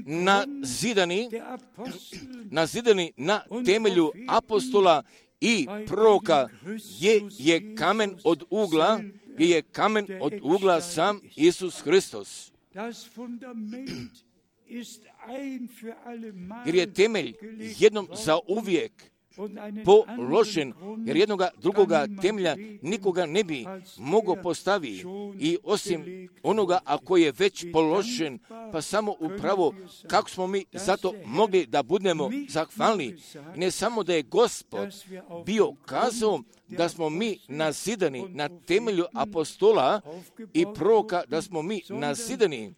Na zidani, na zidani na temelju apostola i proroka je, je kamen od ugla, gdje je kamen od ugla sam Isus Hristos. Jer je temelj jednom za uvijek položen, jer jednoga drugoga temelja nikoga ne bi mogao postaviti i osim onoga ako je već položen, pa samo upravo kako smo mi zato mogli da budemo zahvalni. Ne samo da je Gospod bio kazao da smo mi nazidani na temelju apostola i proroka, da smo mi nazidani,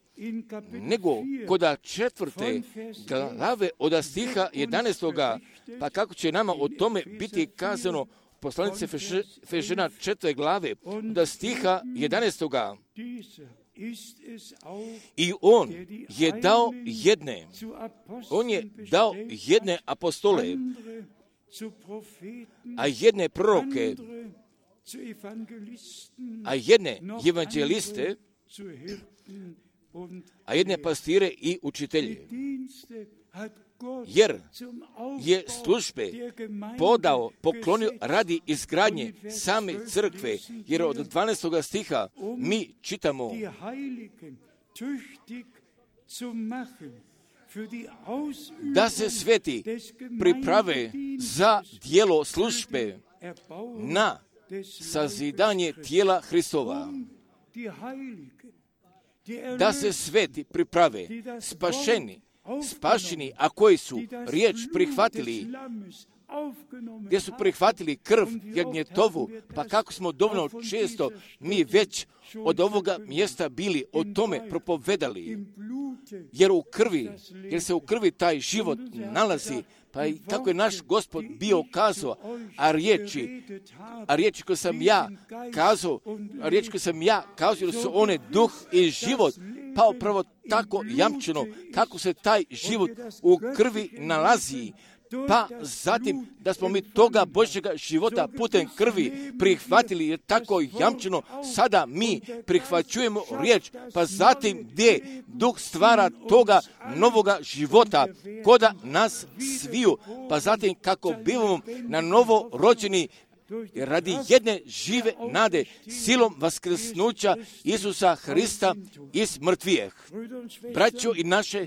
nego koda četvrte glave od stiha jedanaestoga, pa kako će nama o tome biti kazano poslanice Efežana četvrte glave od stiha jedanaestoga. I on je dao jedne, on je dao jedne apostole, a jedne proroke, a jedne evanđeliste, a jedne pastire i učitelje. Jer je službe podao, poklonio radi izgradnje same crkve, jer od dvanaestoga stiha mi čitamo da se sveti priprave za djelo službe na sazidanje tijela Hristova. Da se sveti priprave, spašeni, spašeni, a koji su riječ prihvatili, gdje su prihvatili krv jagnjetovu, pa kako smo dovoljno često mi već od ovoga mjesta bili o tome propovedali, jer u krvi, jer se u krvi taj život nalazi, pa i kako je naš Gospod bio kazao, a riječi, a riječi koje sam ja kazao, a riječi koje sam ja kazao, jer su one duh i život, pa upravo tako jamčeno, kako se taj život u krvi nalazi, pa zatim da smo mi toga Božjega života putem krvi prihvatili, jer tako jamčeno sada mi prihvaćujemo riječ, pa zatim gdje Duh stvara toga novoga života koda nas sviju, pa zatim kako bivamo na novo rođeni radi jedne žive nade, silom vaskrsnuća Isusa Hrista iz mrtvijeh. Braćo i naše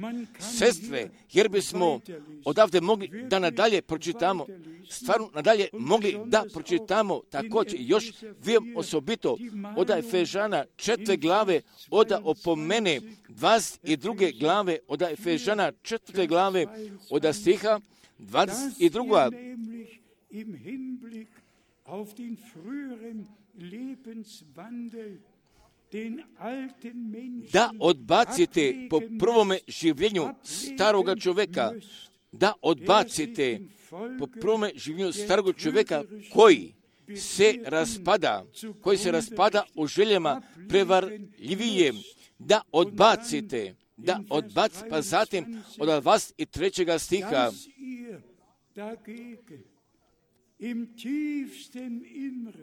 sestre, jer bismo odavde mogli da nadalje pročitamo, stvarno nadalje mogli da pročitamo također još vijem osobito od Efežana četvrte glave, od opomene dvadeset druge glave, od Efežana četvrte glave, od stiha dvadeset druga auf den früheren Lebenswandel, den alten Menschen, da odbacite po prvome življenju staroga čovjeka, da odbacite po prvome življenju starog čovjeka koji se raspada, koji se raspada u željama prevarljivije, da odbacite, da odbacite, pa zatim od dvadeset trećega stiha,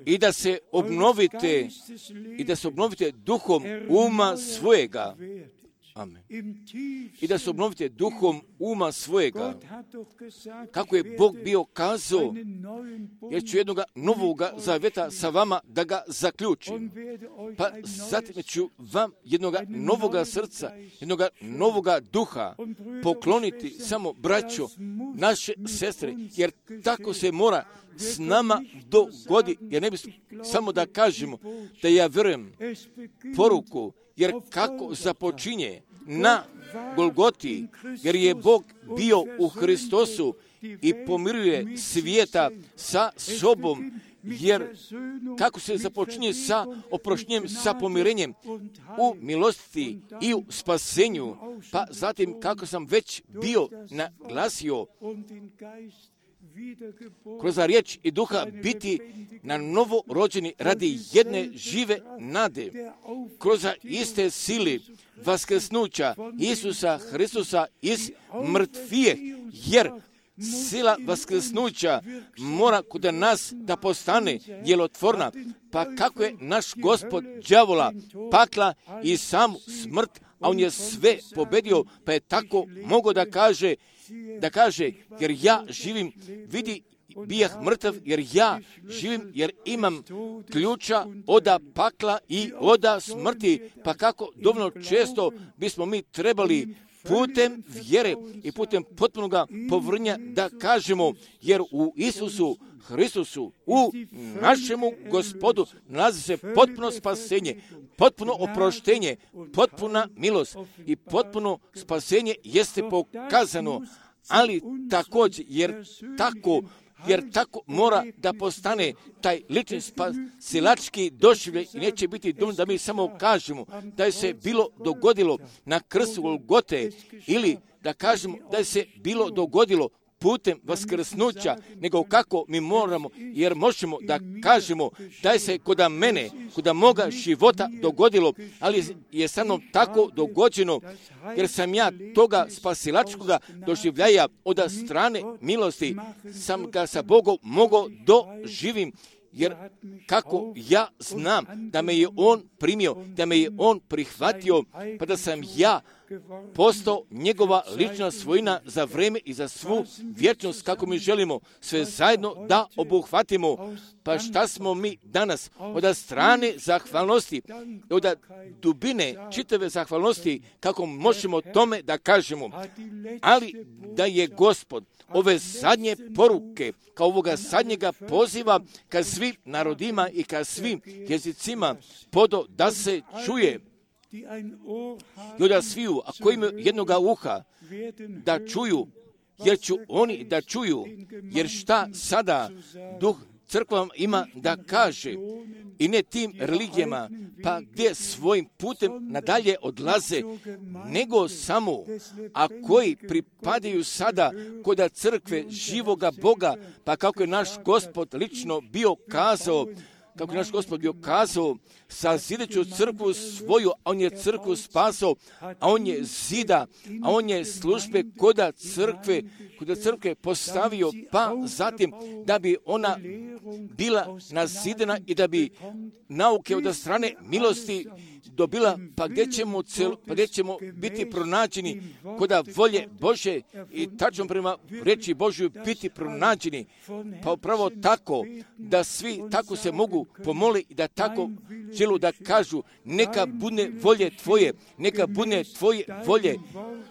i da se obnovite i da se obnovite duhom uma svojega. Amen. I da se obnovite duhom uma svojega. Kako je Bog bio kazao, jer ću jednoga novoga zaveta sa vama da ga zaključim. Pa zatim ću vam jednoga novoga srca, jednoga novoga duha pokloniti, samo braćo, naše sestre, jer tako se mora s nama dogodi, jer ne bi samo da kažemo da ja vjerujem poruku, jer kako započinje na Golgoti, jer je Bog bio u Hristosu i pomiruje svijeta sa sobom, jer kako se započinje sa oproštenjem, sa pomirenjem u milosti i u spasenju, pa zatim kako sam već bio naglasio, kroz riječ i duha biti na novo rođeni radi jedne žive nade, kroz iste sili vaskrsnuća Isusa Hristusa iz mrtvijeh, jer sila vaskrsnuća mora kod nas da postane djelotvorna, pa kako je naš Gospod đavola, pakla i samu smrt, a on je sve pobedio, pa je tako mogao da kaže, da kaže, jer ja živim, vidi, bijah mrtav, jer ja živim, jer imam ključa oda pakla i oda smrti, pa kako dovoljno često bismo mi trebali putem vjere i putem potpunoga povrnja da kažemo, jer u Isusu Hristusu, u našemu Gospodu nalazi se potpuno spasenje, potpuno oproštenje, potpuna milost i potpuno spasenje jeste pokazano, ali također, jer tako jer tako mora da postane taj lični spasilački doživljaj i neće biti dovoljno da mi samo kažemo da je se bilo dogodilo na krstu Golgote ili da kažemo da je se bilo dogodilo putem vaskrsnuća, nego kako mi moramo, jer možemo da kažemo da je se kod mene, kod moga života dogodilo, ali je sa mnom tako dogođeno, jer sam ja toga spasilačkoga doživljaja od strane milosti, sam ga sa Bogom mogao doživim, jer kako ja znam da me je On primio, da me je On prihvatio, pa da sam ja postao njegova lična svojina za vreme i za svu vječnost, kako mi želimo sve zajedno da obuhvatimo. Pa šta smo mi danas od strane zahvalnosti, od dubine čitave zahvalnosti, kako možemo tome da kažemo, ali da je Gospod ove zadnje poruke, kao ovoga zadnjega poziva ka svim narodima i ka svim jezicima podo da se čuje i od sviju, a koji imaju jednoga uha, da čuju, jer ću oni da čuju, jer šta sada Duh crkva ima da kaže, i ne tim religijama, pa gdje svojim putem nadalje odlaze, nego samo, a koji pripadaju sada kod crkve živoga Boga, pa kako je naš Gospod lično bio kazao, kako naš Gospod bio kazao, sazideću crkvu svoju, a on je crkvu spasao, a on je zida, a on je službe koda crkve, koda crkve postavio, pa zatim da bi ona bila nazidena i da bi nauke od strane milosti dobila, pa gdje ćemo, cel, pa gdje ćemo biti pronađeni koda volje Bože i tačno prema reči Božju biti pronađeni. Pa upravo tako da svi tako se mogu pomoli i da tako želu da kažu neka bude volje tvoje, neka bude tvoje volje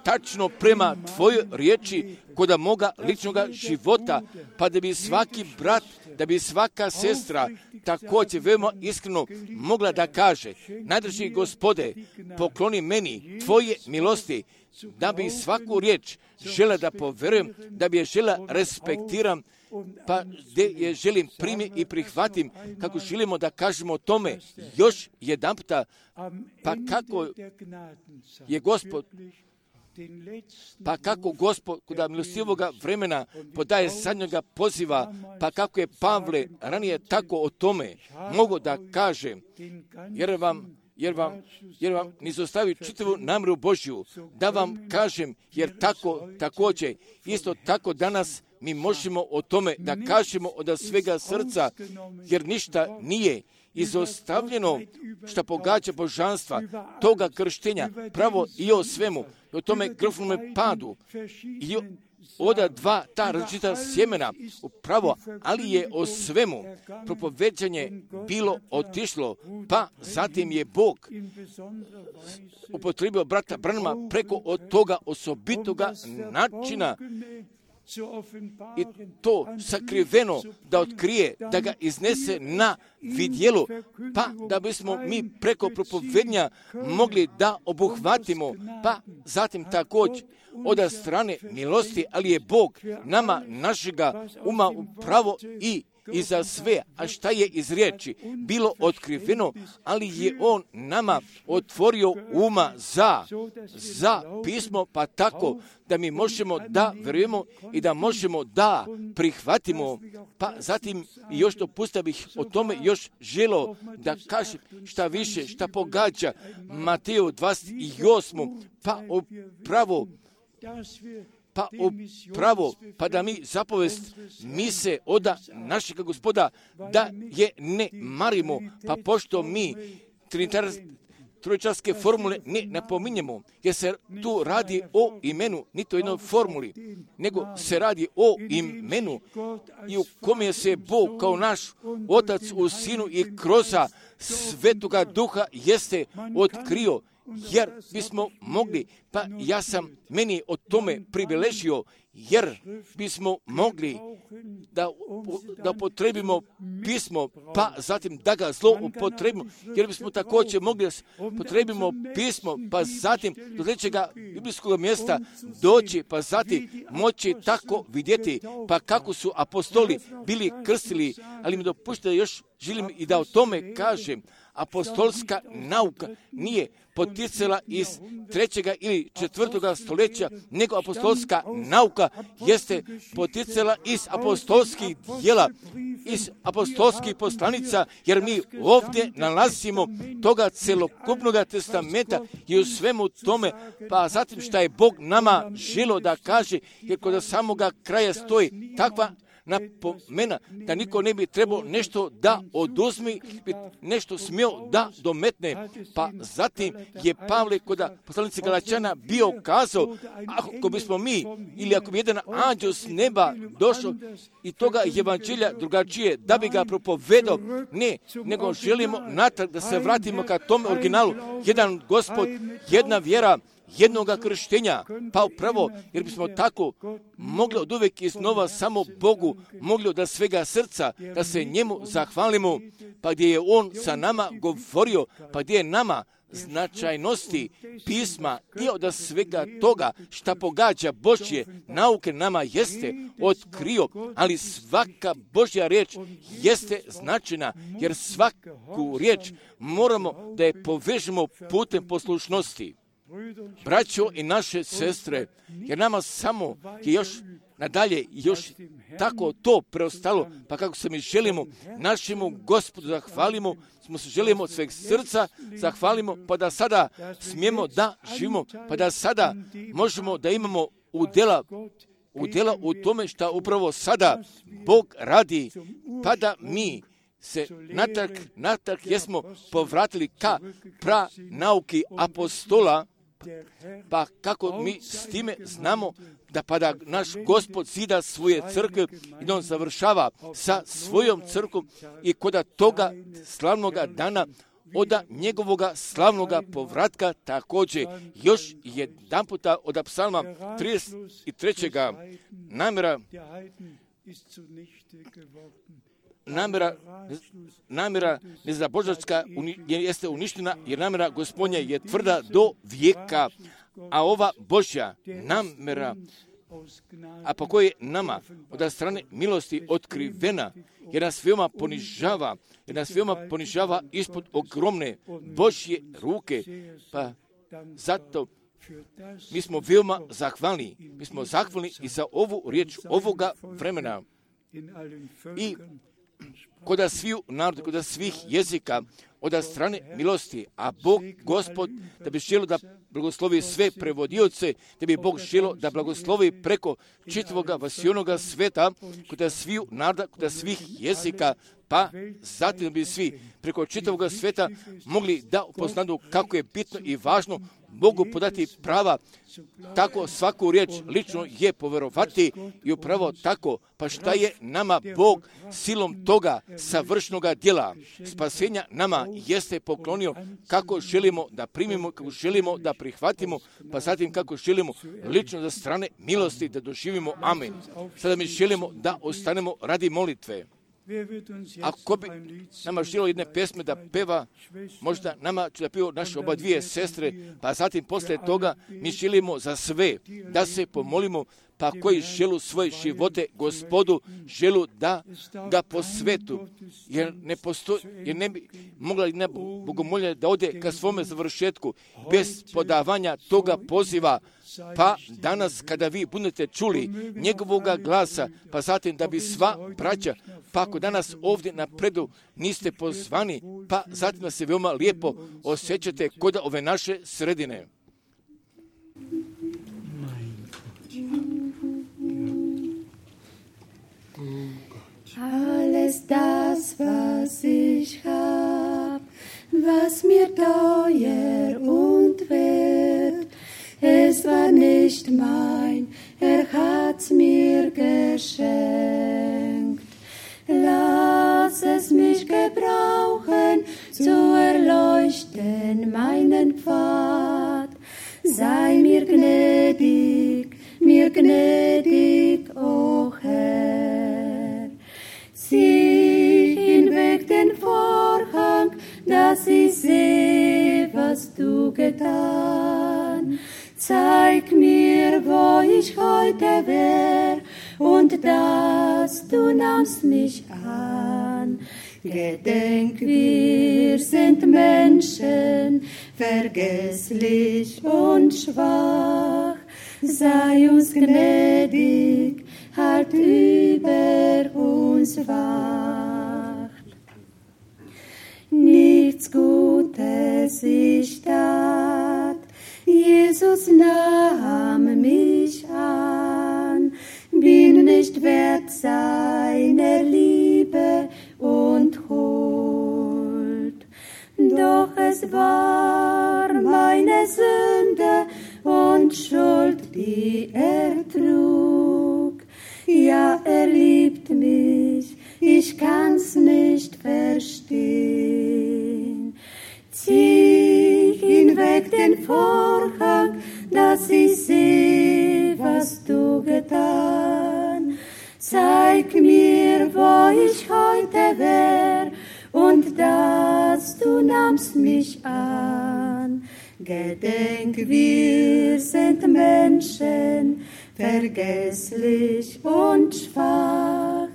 tačno prema tvojoj riječi koda moga ličnoga života, pa da bi svaki brat, da bi svaka sestra također veoma iskreno mogla da kaže, najdraži Gospode, pokloni meni tvoje milosti, da bi svaku riječ žela da poverujem, da bi je žela respektiram, pa gdje je želim primiti i prihvatim, kako želimo da kažemo o tome još jedan puta, pa kako je Gospod Pa kako Gospod kod milostivoga vremena podaje zadnjega poziva, pa kako je Pavle ranije tako o tome mogo da kaže, jer vam, jer vam, jer vam nizostavi čitavu namjeru Božju, da vam kažem, jer tako također, isto tako danas mi možemo o tome da kažemo od svega srca, jer ništa nije izostavljeno što pogađa božanstva, toga krštenja, pravo i o svemu, o tome grofnome padu, i oda dva ta različita sjemena, upravo, ali je o svemu propoveđanje bilo otišlo, pa zatim je Bog upotrebio brata Branhama preko od toga osobitoga načina i to sakriveno da otkrije, da ga iznese na vidjelo, pa da bismo mi preko propovednja mogli da obuhvatimo, pa zatim također od strane milosti, ali je Bog nama našega uma upravo i i za sve, a šta je iz riječi bilo otkriveno, ali je on nama otvorio uma za, za pismo, pa tako da mi možemo da verujemo i da možemo da prihvatimo. Pa zatim još dopustio bih o tome još želo da kažem šta više, šta pogađa Mateju dvadeset osam, pa upravo pa upravo, pa da mi zapovest mise oda našega Gospoda, da je ne marimo, pa pošto mi trojčarske formule ne napominjemo, jer se tu radi o imenu, ni to jednoj formuli, nego se radi o imenu i u kome se Bog kao naš Otac u Sinu i kroz Svetoga Duha jeste otkrio, jer bismo mogli, pa ja sam meni o tome priviležio, jer bismo mogli da, da upotrebimo pismo, pa zatim da ga zlo upotrebimo, jer bismo također mogli da upotrebimo pismo, pa zatim do trećega biblijskog mjesta doći, pa zatim moći tako vidjeti, pa kako su apostoli bili krstili, ali mi dopustite još želim i da o tome kažem. Apostolska nauka nije poticala iz trećega ili četvrtoga stoljeća, nego apostolska nauka jeste poticala iz apostolskih djela, iz apostolskih poslanica, jer mi ovdje nalazimo toga celokupnog testamenta i u svemu tome, pa zatim šta je Bog nama želo da kaže, jer kod samoga kraja stoji takva napomena da niko ne bi trebao nešto da oduzmi, nešto smio da dometne. Pa zatim je Pavle kod poslanice Galačana bio kazao, ako bismo mi ili ako bi jedan anđeo s neba došao i toga evanđelja drugačije da bi ga propovedao, ne, nego želimo natrag da se vratimo ka tom originalu, jedan Gospod, jedna vjera, jednoga krštenja, pa upravo, jer bismo tako mogli od uvijek iznova samo Bogu, mogli od svega srca da se njemu zahvalimo, pa gdje je on sa nama govorio, pa gdje je nama značajnosti pisma i od svega toga šta pogađa Božje nauke nama jeste otkrio, ali svaka Božja riječ jeste značajna, jer svaku riječ moramo da je povežemo putem poslušnosti. Braćo i naše sestre, jer nama samo je još nadalje još tako to preostalo, pa kako se mi želimo našemu Gospodu zahvalimo, smo se želimo od sveg srca zahvalimo, pa da sada smijemo da živimo, pa da sada možemo da imamo udjela, udjela u tome što upravo sada Bog radi, pa da mi se natrag, natrag jesmo povratili ka pra nauki apostola, pa kako mi s time znamo da pa da naš Gospod zida svoje crkve i da on završava sa svojom crkvom i koda toga slavnoga dana od njegovoga slavnoga povratka također još jedan puta od psalma trideset trećeg namjera namjera, namjera nezabožačka jeste uništena, jer namjera Gospodnja je tvrda do vijeka, a ova Božja namjera, a po kojoj nama od strane milosti otkrivena, jer nas veoma ponižava, jer nas veoma ponižava ispod ogromne Božje ruke, pa zato mi smo veoma zahvalni, mi smo zahvalni i za ovu riječ ovoga vremena i koda sviju naroda, koda svih jezika, od strane milosti, a Bog, Gospod, da bi želio da blagoslovi sve prevodioce, da bi Bog želio da blagoslovi preko čitavoga vasionoga sveta, koda sviju naroda, koda svih jezika, pa zatim bi svi preko čitavoga sveta mogli da upoznaju kako je bitno i važno mogu podati prava, tako svaku riječ lično je poverovati i upravo tako, pa šta je nama Bog silom toga savršnoga djela spasenja nama jeste poklonio, kako želimo da primimo, kako želimo da prihvatimo, pa zatim kako želimo lično za strane milosti da doživimo. Amen. Sada mi želimo da ostanemo radi molitve. Ako bi nama želio jedne pesme da peva, možda nama će da piju naše oba dvije sestre, pa zatim poslije toga mi želimo za sve da se pomolimo, pa koji želu svoje živote Gospodu, želu da ga posvetu, jer ne postoji, jer ne bi mogla jedna bogomolja da ode ka svome završetku bez podavanja toga poziva. Pa danas kada vi budete čuli njegovoga glasa, pa zatim da bi sva braća, pa ako danas ovdje napredu niste pozvani, pa zatim da se veoma lijepo osjećate kod ove naše sredine. Alles das, was ich hab, was mir teuer und wert, es war nicht mein, er hat's mir geschenkt. Lass es mich gebrauchen, zu erleuchten meinen Pfad. Sei mir gnädig, mir gnädig, o Herr. Zieh hinweg den Vorhang, dass ich seh, was du getan. Zeig mir, wo ich heute wär, und dass du nahmst mich an. Gedenk, wir sind Menschen, vergesslich und schwach. Sei uns gnädig, halt über uns wacht. Nichts Gutes ich tat, Jesus nahm mich an, bin nicht wert seiner Liebe und Huld. Doch es war meine Sünde und Schuld, die er trug. Ja, er liebt mich, ich kann's nicht verstehen. Zieh hinweg den Vorhang, dass ich seh, was du getan. Zeig mir, wo ich heute wär, und dass du nahmst mich an. Gedenk, wir sind Menschen, vergesslich und schwach.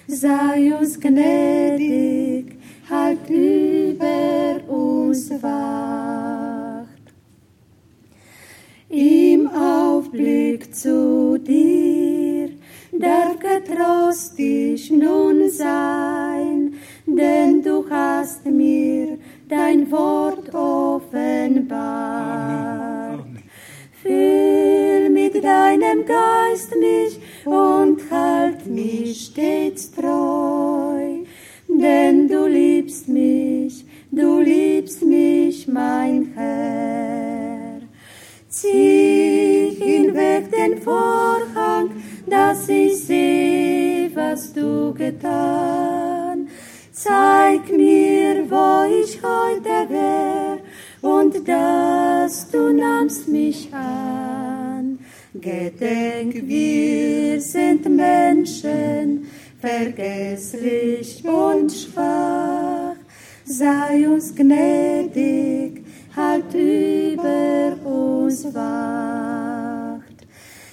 Sei uns gnädig, halt über uns wacht. Im Aufblick zu dir darf getrostig nun sein, denn du hast mir dein Wort offenbart. Amen. Füll mit deinem Geist mich und halt mich stets treu, denn du liebst mich, du liebst mich, mein Herr. Zieh hinweg den Vorhang, dass ich seh, was du getan. Zeig mir, wo ich heute wär, und dass du nahmst mich an. Gedenk, wir sind Menschen, vergesslich und schwach. Sei uns gnädig, halt über uns wacht.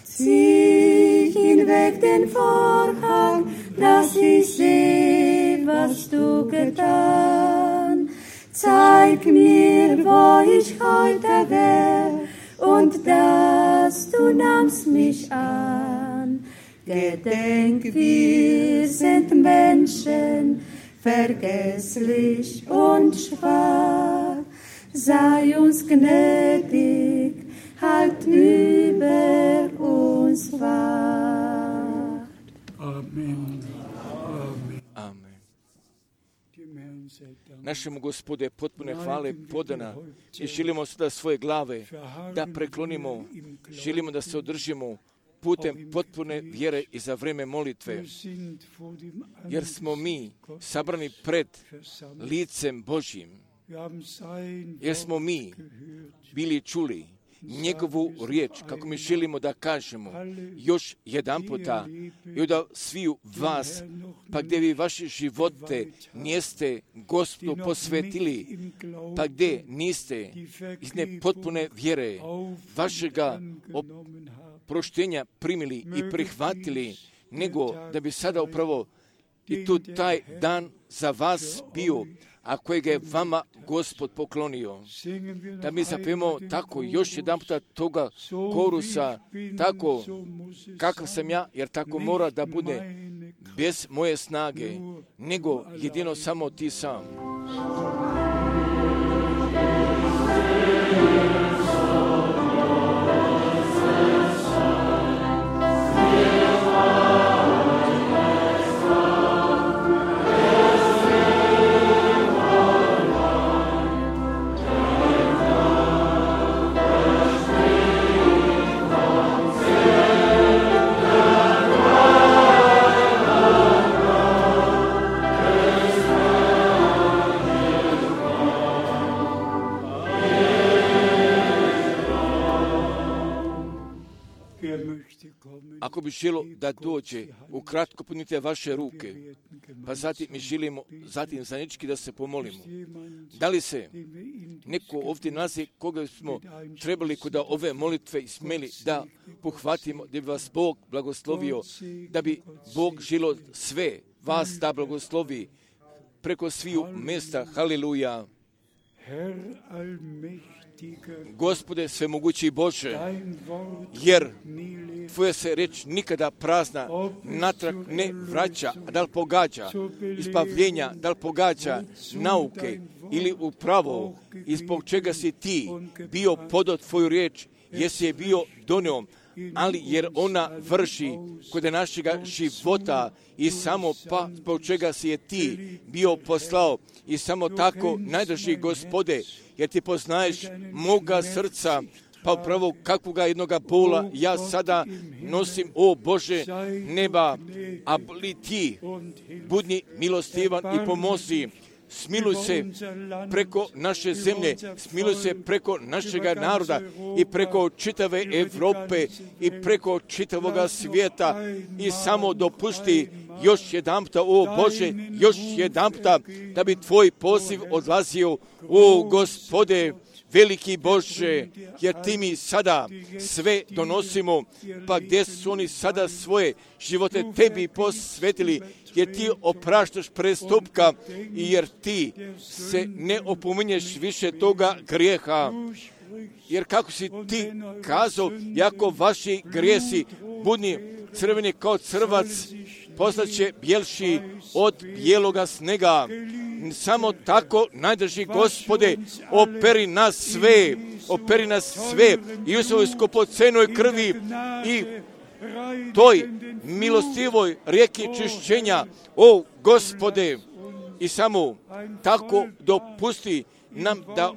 Zieh hinweg den Vorhang, dass ich seh, was du getan. Zeig mir, wo ich heute wär, und dass du nahmst mich an. Gedenk, wir sind Menschen, vergesslich und schwach. Sei uns gnädig, halt über uns wacht. Amen. Amen. Našemu Gospode potpune hvale podana i želimo sada svoje glave da preklonimo, želimo da se održimo putem potpune vjere i za vreme molitve, jer smo mi sabrani pred licem Božjim, jer smo mi bili čuli njegovu riječ, kako mi želimo da kažemo još jedan puta i da sviju vas, pa gdje vi vaše živote niste Gospodu posvetili, pa gdje niste iz nepotpune vjere vašega proštenja primili i prihvatili, nego da bi sada upravo i tu taj dan za vas bio, a kojega je vama Gospod poklonio. Da mi zapijemo tako još jedan puta toga korusa, tako kakav sam ja, jer tako mora da bude, bez moje snage, nego jedino samo ti sam. Ako bi želo da dođe, ukratko punite vaše ruke, pa zatim mi želimo zatim zajednički da se pomolimo. Da li se neko ovdje nalazi koga smo trebali kod ove molitve i smeli da pohvatimo, da bi vas Bog blagoslovio, da bi Bog želo sve vas da blagoslovi preko sviju mjesta. Haleluja. Gospode svemogući Bože, jer Tvoja se reč nikada prazna natrag ne vraća, a da li pogađa ispavljenja, da li pogađa nauke ili upravo ispod čega si ti bio podao Tvoju riječ, jesi je bio donio, ali jer ona vrši kod našega života i samo pa zbog čega si je ti bio poslao i samo tako najdrži Gospode, jer ti poznaješ moga srca, pa upravo kakvoga jednoga bola ja sada nosim, o Bože neba, a li ti budni milostivan i pomozi. Smiluj se preko naše zemlje, smiluj se preko našega naroda i preko čitave Evrope i preko čitavoga svijeta i samo dopusti još jedan puta, o Bože, još jedan puta da bi Tvoj poziv odlazio, o Gospode, veliki Bože, jer Ti mi sada sve donosimo, pa gdje su oni sada svoje živote Tebi posvetili, jer Ti opraštaš prestupka i jer Ti se ne opominješ više toga grijeha. Jer kako si Ti kazao, jako vaši grijesi budni crveni kao crvac, postaće bjelši od bijeloga snega. Samo tako, najdraži Gospode, operi nas sve, operi nas sve i u svojoj skupocenoj krvi i toj milostivoj rijeki čišćenja, o Gospode, i samo tako dopusti nam da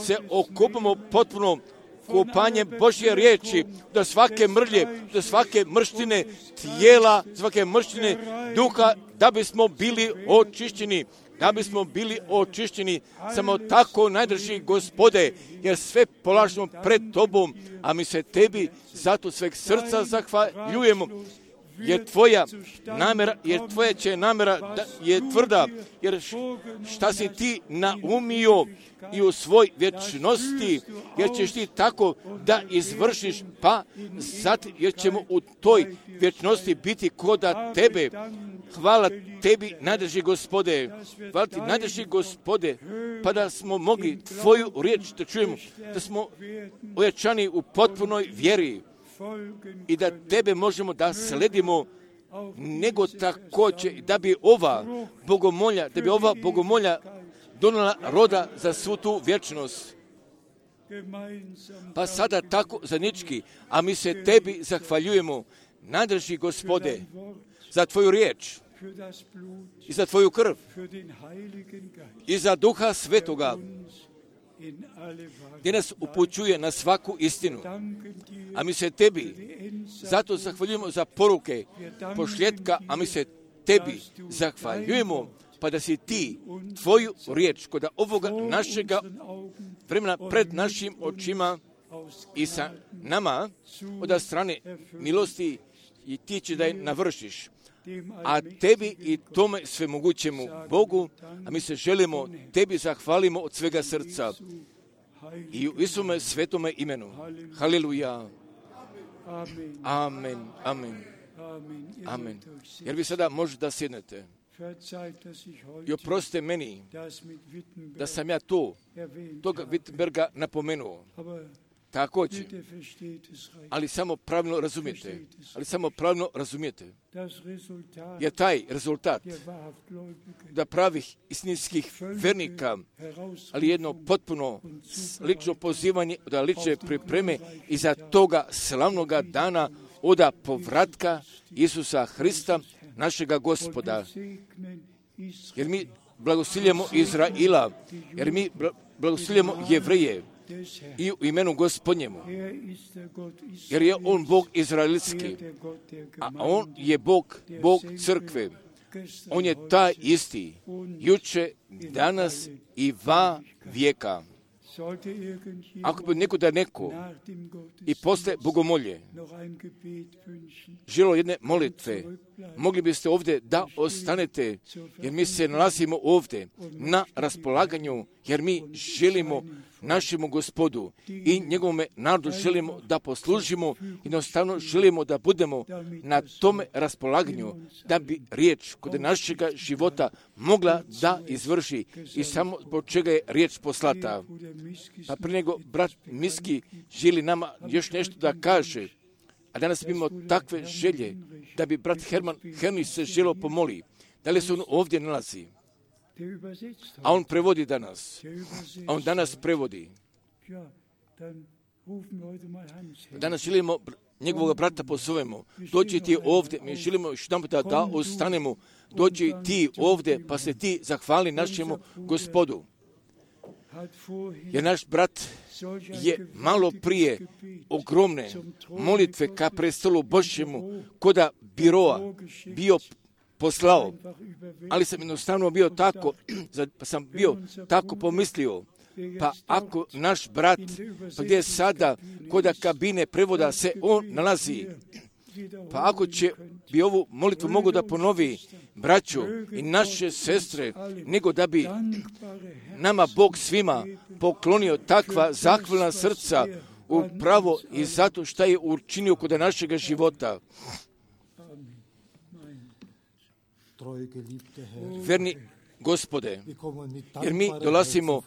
se okupimo potpuno kupanjem Božje riječi, do svake mrlje, do svake mrštine tijela, svake mrštine duha, da bismo bili očišćeni, da bismo bili očišćeni. Samo tako, najdraži Gospode, jer sve polažemo pred Tobom, a mi se Tebi zato sveg srca zahvaljujemo, jer Tvoja namjera, jer Tvoja će namjera da je tvrda, jer šta si Ti naumio i u svoj vječnosti, jer ćeš Ti tako da izvršiš, pa zato jer ćemo u toj vječnosti biti koda Tebe. Hvala Tebi, najdraži Gospode, hvala Ti, najdraži Gospode, pa da smo mogli Tvoju riječ da čujemo, da smo ojačani u potpunoj vjeri i da Tebe možemo da sledimo, nego također da bi ova bogomolja, da bi ova bogomolja donijela roda za svu tu vječnost. Pa sada tako zajednički, a mi se Tebi zahvaljujemo, najdraži Gospode, za Tvoju riječ i za Tvoju krv i za Duha Svetoga, gdje nas upućuje na svaku istinu. A mi se Tebi zato zahvaljujemo za poruke pošljetka, a mi se Tebi zahvaljujemo, pa da si Ti Tvoju riječ kod ovoga našega vremena pred našim očima i sa nama od strane milosti i Ti će da je navršiš. A Tebi i tome svemogućemu Bogu, a mi se želimo Tebi zahvalimo od svega srca i u Isume svetome imenu. Haleluja. Amen. Amen. Amen. Jer vi sada možete da sjednete. I oprostite meni da sam ja to, toga Wittenberga napomenuo. Također, ali samo pravilno razumijete, ali samo pravilno razumijete, jer taj rezultat da pravih istinskih vernika, ali jedno potpuno lično pozivanje, da lične pripreme i za toga slavnoga dana oda povratka Isusa Hrista, našega Gospoda. Jer mi blagosiljemo Izraila, jer mi blagosiljemo Jevreje, i u imenu Gospodnjemu, jer je On Bog izraelitski, a On je Bog, Bog crkve. On je taj isti, juče, danas i va vijeka. Ako bi neko da neko i posle bogomolje želo jedne molitve, mogli biste ovdje da ostanete, jer mi se nalazimo ovdje na raspolaganju, jer mi želimo našemu Gospodu i njegovome narodu želimo da poslužimo i jednostavno želimo da budemo na tome raspolaganju, da bi riječ kod našega života mogla da izvrši i samo zbog čega je riječ poslata. Pa prije nego brat Miski želi nama još nešto da kaže, a danas imamo takve želje da bi brat Herman Herni se želo pomoli. Da li se on ovdje nalazi? A on prevodi danas. A on danas prevodi. Danas želimo njegovog brata pozovemo. Dođi ti ovdje. Mi želimo još jedan da, da ostanemo. Dođi ti ovdje pa se ti zahvali našemu Gospodu. Jer naš brat je malo prije ogromne molitve ka prestolu Božjemu koda biroa bio poslao, ali sam jednostavno bio tako, pa sam bio tako pomislio, pa ako naš brat, pa gdje sada koda kabine prevoda se on nalazi, pa ako će bi ovu molitvu mogu da ponovi braću i naše sestre, nego da bi nama Bog svima poklonio takva zahvalna srca upravo i zato što je učinio kod našega života. Verni Gospode, jer mi dolazimo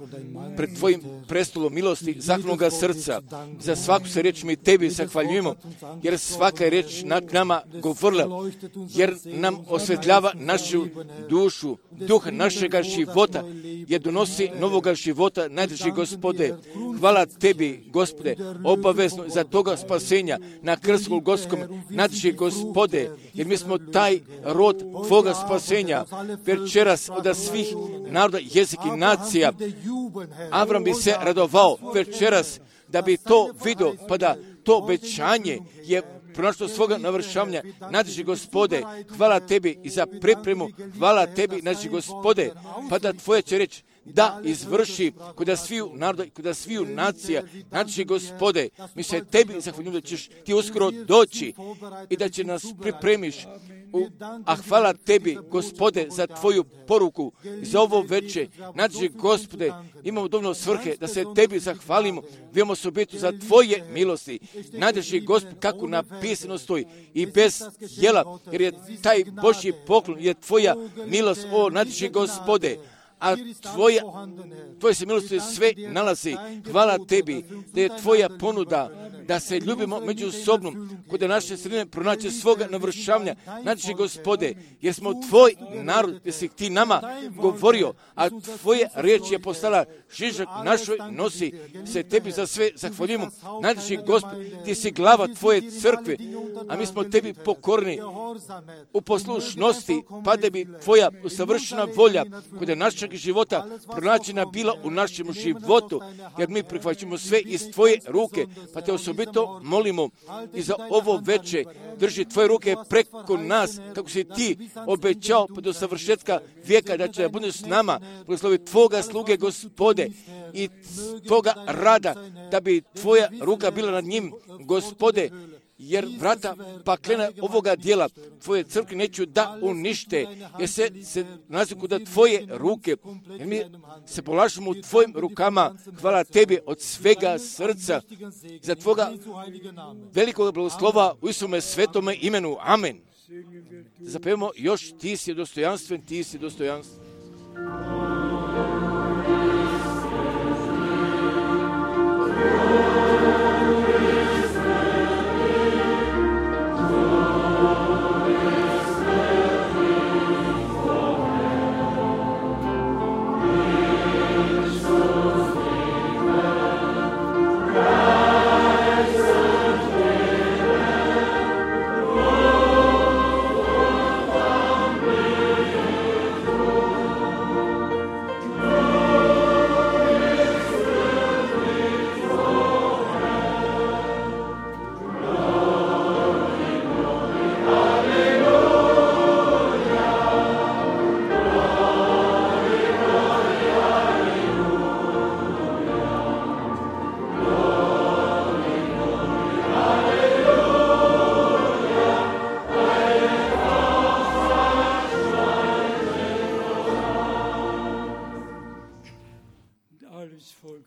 pred Tvojim prestolom milosti, zahvalnoga srca. Za svaku se riječ mi Tebi zahvaljujemo, jer svaka je riječ nad nama govorila, jer nam osvetljava našu dušu, duh našega života, jer donosi novoga života, najdrži Gospode. Hvala Tebi, Gospode, obavezno za toga spasenja na krstu Golgotskom, najdrži Gospode, jer mi smo taj rod Tvoga spasenja. Večeras od svih naroda, jezika i nacija, Avram bi se radovao večeras da bi to vidio, pa da to obećanje je pronašlo svoga navršavanja. Nađi Gospode, hvala Tebi i za pripremu, hvala Tebi, nađi Gospode, pa da Tvoja će reći da izvrši kod sviju naroda i kod sviju nacija. Nađi Gospode, mi se Tebi zahvaljujemo da ćeš Ti uskoro doći i da će nas pripremiš. U, a hvala Tebi, Gospode, za Tvoju poruku, za ovo veče. Nađi Gospode, imamo dovoljno svrhe da se Tebi zahvalimo. Vijemo se biti za Tvoje milosti. Nađi Gospod, kako napisano stoji, i bez jela, jer je taj Božji poklon, je Tvoja milost, o, nađi Gospode. A tvoja, Tvoje se milosti sve nalazi. Hvala Tebi da je Tvoja ponuda da se ljubimo međusobno, kod naše sredine pronaći svoga navršavanja. Nađi Gospode, jer smo Tvoj narod, jer si Ti nama govorio, a Tvoja riječ je postala žižak našoj nosi. Se Tebi za sve zahvaljujemo. Nađi Gospode, Ti si glava Tvoje crkve, a mi smo Tebi pokorni u poslušnosti, pa da bi Tvoja usavršena volja kod našeg života pronađena bila u našem životu, jer mi prihvaćamo sve iz Tvoje ruke, pa Te osobito molimo i za ovo veče drži Tvoje ruke preko nas, kako si Ti obećao do savršetka vijeka da će da bude s nama, blagoslovi Tvoga sluge, Gospode, i Tvoga rada, da bi Tvoja ruka bila nad njim, Gospode, jer vrata paklena ovoga dijela Tvoje crkve neću da unište, jer se, se nalazi kod Tvoje ruke, jer mi se polažemo u Tvojim rukama. Hvala Tebi od svega srca za Tvoga velikog blagoslova u Isuse svetome imenu. Amen. Zapevamo još Ti si dostojanstven, Ti si dostojanstven.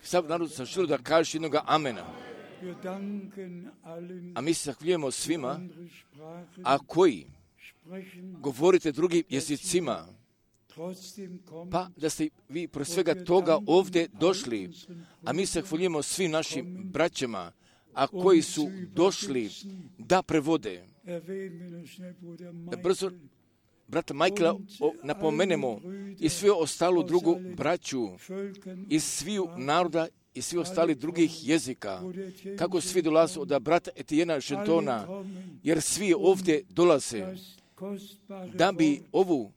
Sav narod sam čuo da kažeš jednoga amena. A mi se zahvaljujemo svima, a koji govorite drugim jezicima, pa da ste vi pro svega toga ovdje došli, a mi se zahvaljujemo svim našim braćama, a koji su došli da prevode. Da brzo brata Michaela napomenemo i svi ostalu drugu braću iz sviju naroda i svi ostali drugih jezika, kako svi dolaze od brata Etijena Žentona, jer svi ovdje dolaze da bi ovu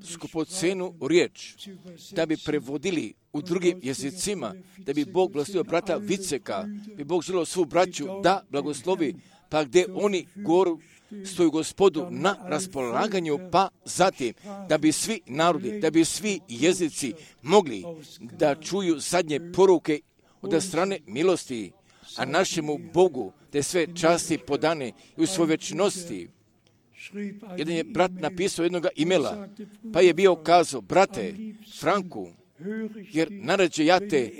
skupocenu riječ, da bi prevodili u drugim jezicima, da bi Bog blagoslovio brata Viceka, bi Bog želio svu braću da blagoslovi, pa gdje oni goru stoju Gospodu na raspolaganju, pa zatim da bi svi narodi, da bi svi jezici mogli da čuju zadnje poruke od strane milosti, a našemu Bogu da je sve časti podane i u svoj večnosti. Jedan je brat napisao jednoga imela, pa je bio kazao, brate Franku, jer narađe ja te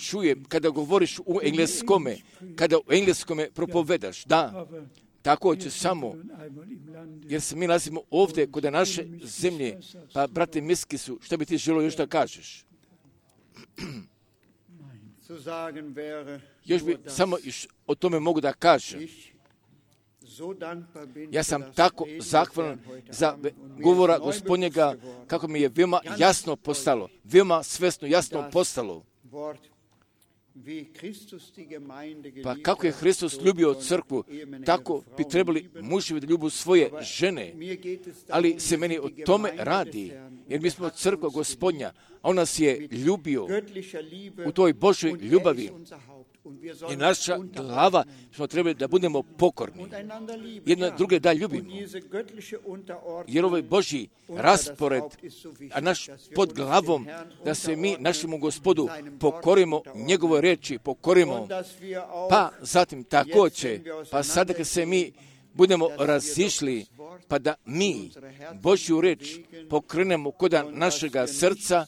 čujem kada govoriš u engleskome, kada u engleskome propovedaš, da, tako će samo, jer se mi nalazimo ovdje kod naše zemlje. Pa, brate Miskisu, što bi ti želio još da kažeš? Još bi samo iš, o tome mogu da kažem. Ja sam tako zahvalan za govora Gospodnjega, kako mi je veoma jasno postalo, veoma svesno jasno postalo. Pa kako je Hristos ljubio crkvu, tako bi trebali muževi da ljubu svoje žene. Ali se meni o tome radi, jer mi smo crkva Gospodnja, a on nas je ljubio u toj Božoj ljubavi. I naša glava smo trebali da budemo pokorni. Jedno druge da ljubimo. Jer ovaj Božji raspored, a naš pod glavom, da se mi našemu Gospodu pokorimo, njegovoj reči pokorimo. Pa zatim također, pa sada kad se mi budemo razišli, pa da mi Božju reč pokrenemo kod našega srca,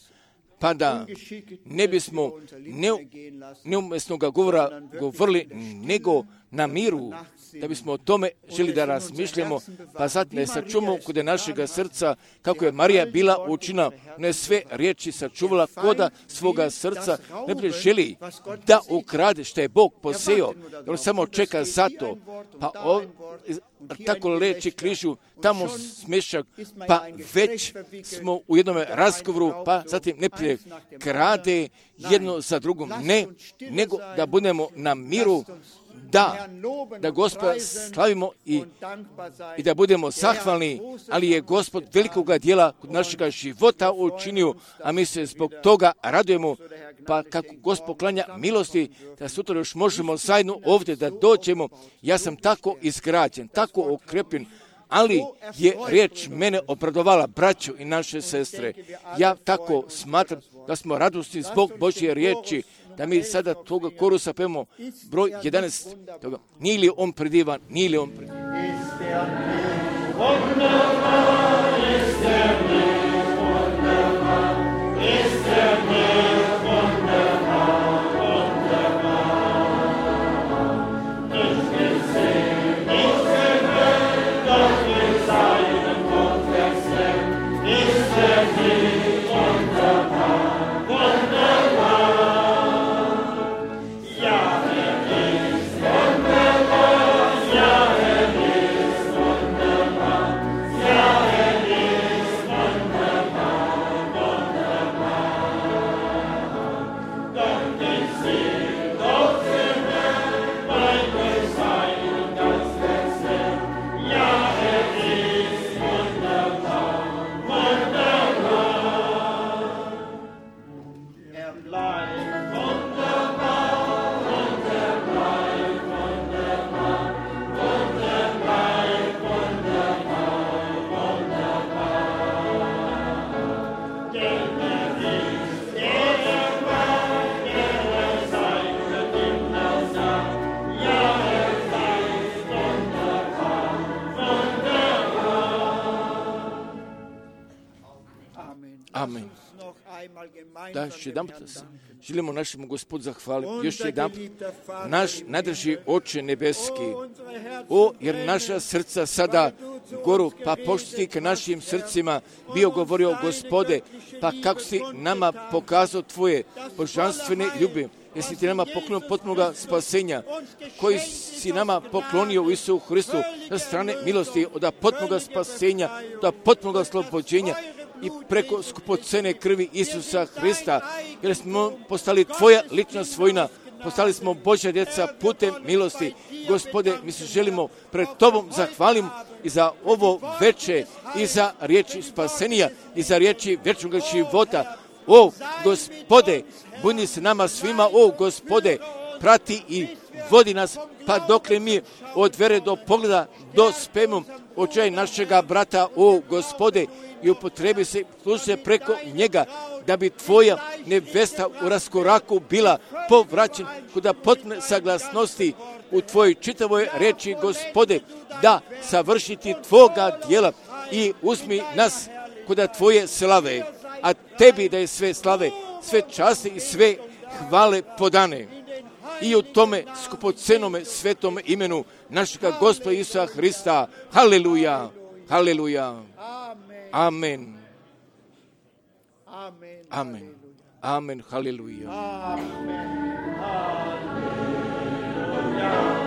pa da ne bismo neumjesnoga govora govorili, nego na miru, da bismo o tome želi da razmišljamo, pa zatim ne sačuvamo kod našega srca, kako je Marija bila učina, ne sve riječi sačuvala koda svoga srca, ne bi želi da ukrade što je Bog poseo, on samo čeka za to, pa o, tako leči križu, tamo smješak, pa već smo u jednom razgovoru, pa zatim ne prije krade jedno za drugom, ne, nego da budemo na miru, da, da Gospoda slavimo i, i da budemo zahvalni, ali je Gospod velikoga dijela kod našega života učinio, a mi se zbog toga radujemo, pa kako Gospod klanja milosti, da sutra još možemo zajedno ovdje da dođemo. Ja sam tako izgrađen, tako okrepljen, ali je riječ mene obradovala, braćo i naše sestre. Ja tako smatram da smo radosni zbog Božje riječi, da mi sada toga korusa pevamo broj jedanaest. Toga. Nije li on predivan, nije li on predivan. Amen. Da, još jedan put želimo našemu Gospodu zahvaliti. Još jedan put, naš najdrži Oče nebeski, o, jer naša srca sada goru, pa pošto si ka našim srcima bio govorio, Gospode, pa kako si nama pokazao tvoje božanstvene ljubi, jer si ti nama poklonio potpunoga spasenja, koji si nama poklonio u Isusu Hristu sa strane milosti, od potpunoga spasenja, od potpunoga oslobođenja, i preko skupocene krvi Isusa Hrista, jer smo postali tvoja lična svojina, postali smo Božja djeca putem milosti. Gospode, mi se želimo pred tobom zahvalim i za ovo veče, i za riječi spasenija, i za riječi vječnog života. O, Gospode, budi se nama svima, o, Gospode, prati i vodi nas, pa dokle mi od vere do pogleda dospemo očaj našega brata, o, Gospode, i upotrebi se, služi se preko njega, da bi tvoja nevesta u raskoraku bila povraćen kuda potpune saglasnosti u tvojoj čitavoj reči, Gospode, da savršiti tvoga djela i uzmi nas kuda tvoje slave, a tebi da je sve slave, sve časti i sve hvale podane. i u tome skupocenome svetome imenu našega Gospoda Isusa Hrista. Haleluja, haleluja. Amen. Amen. Amen. Haleluja. Amen. Haleluja.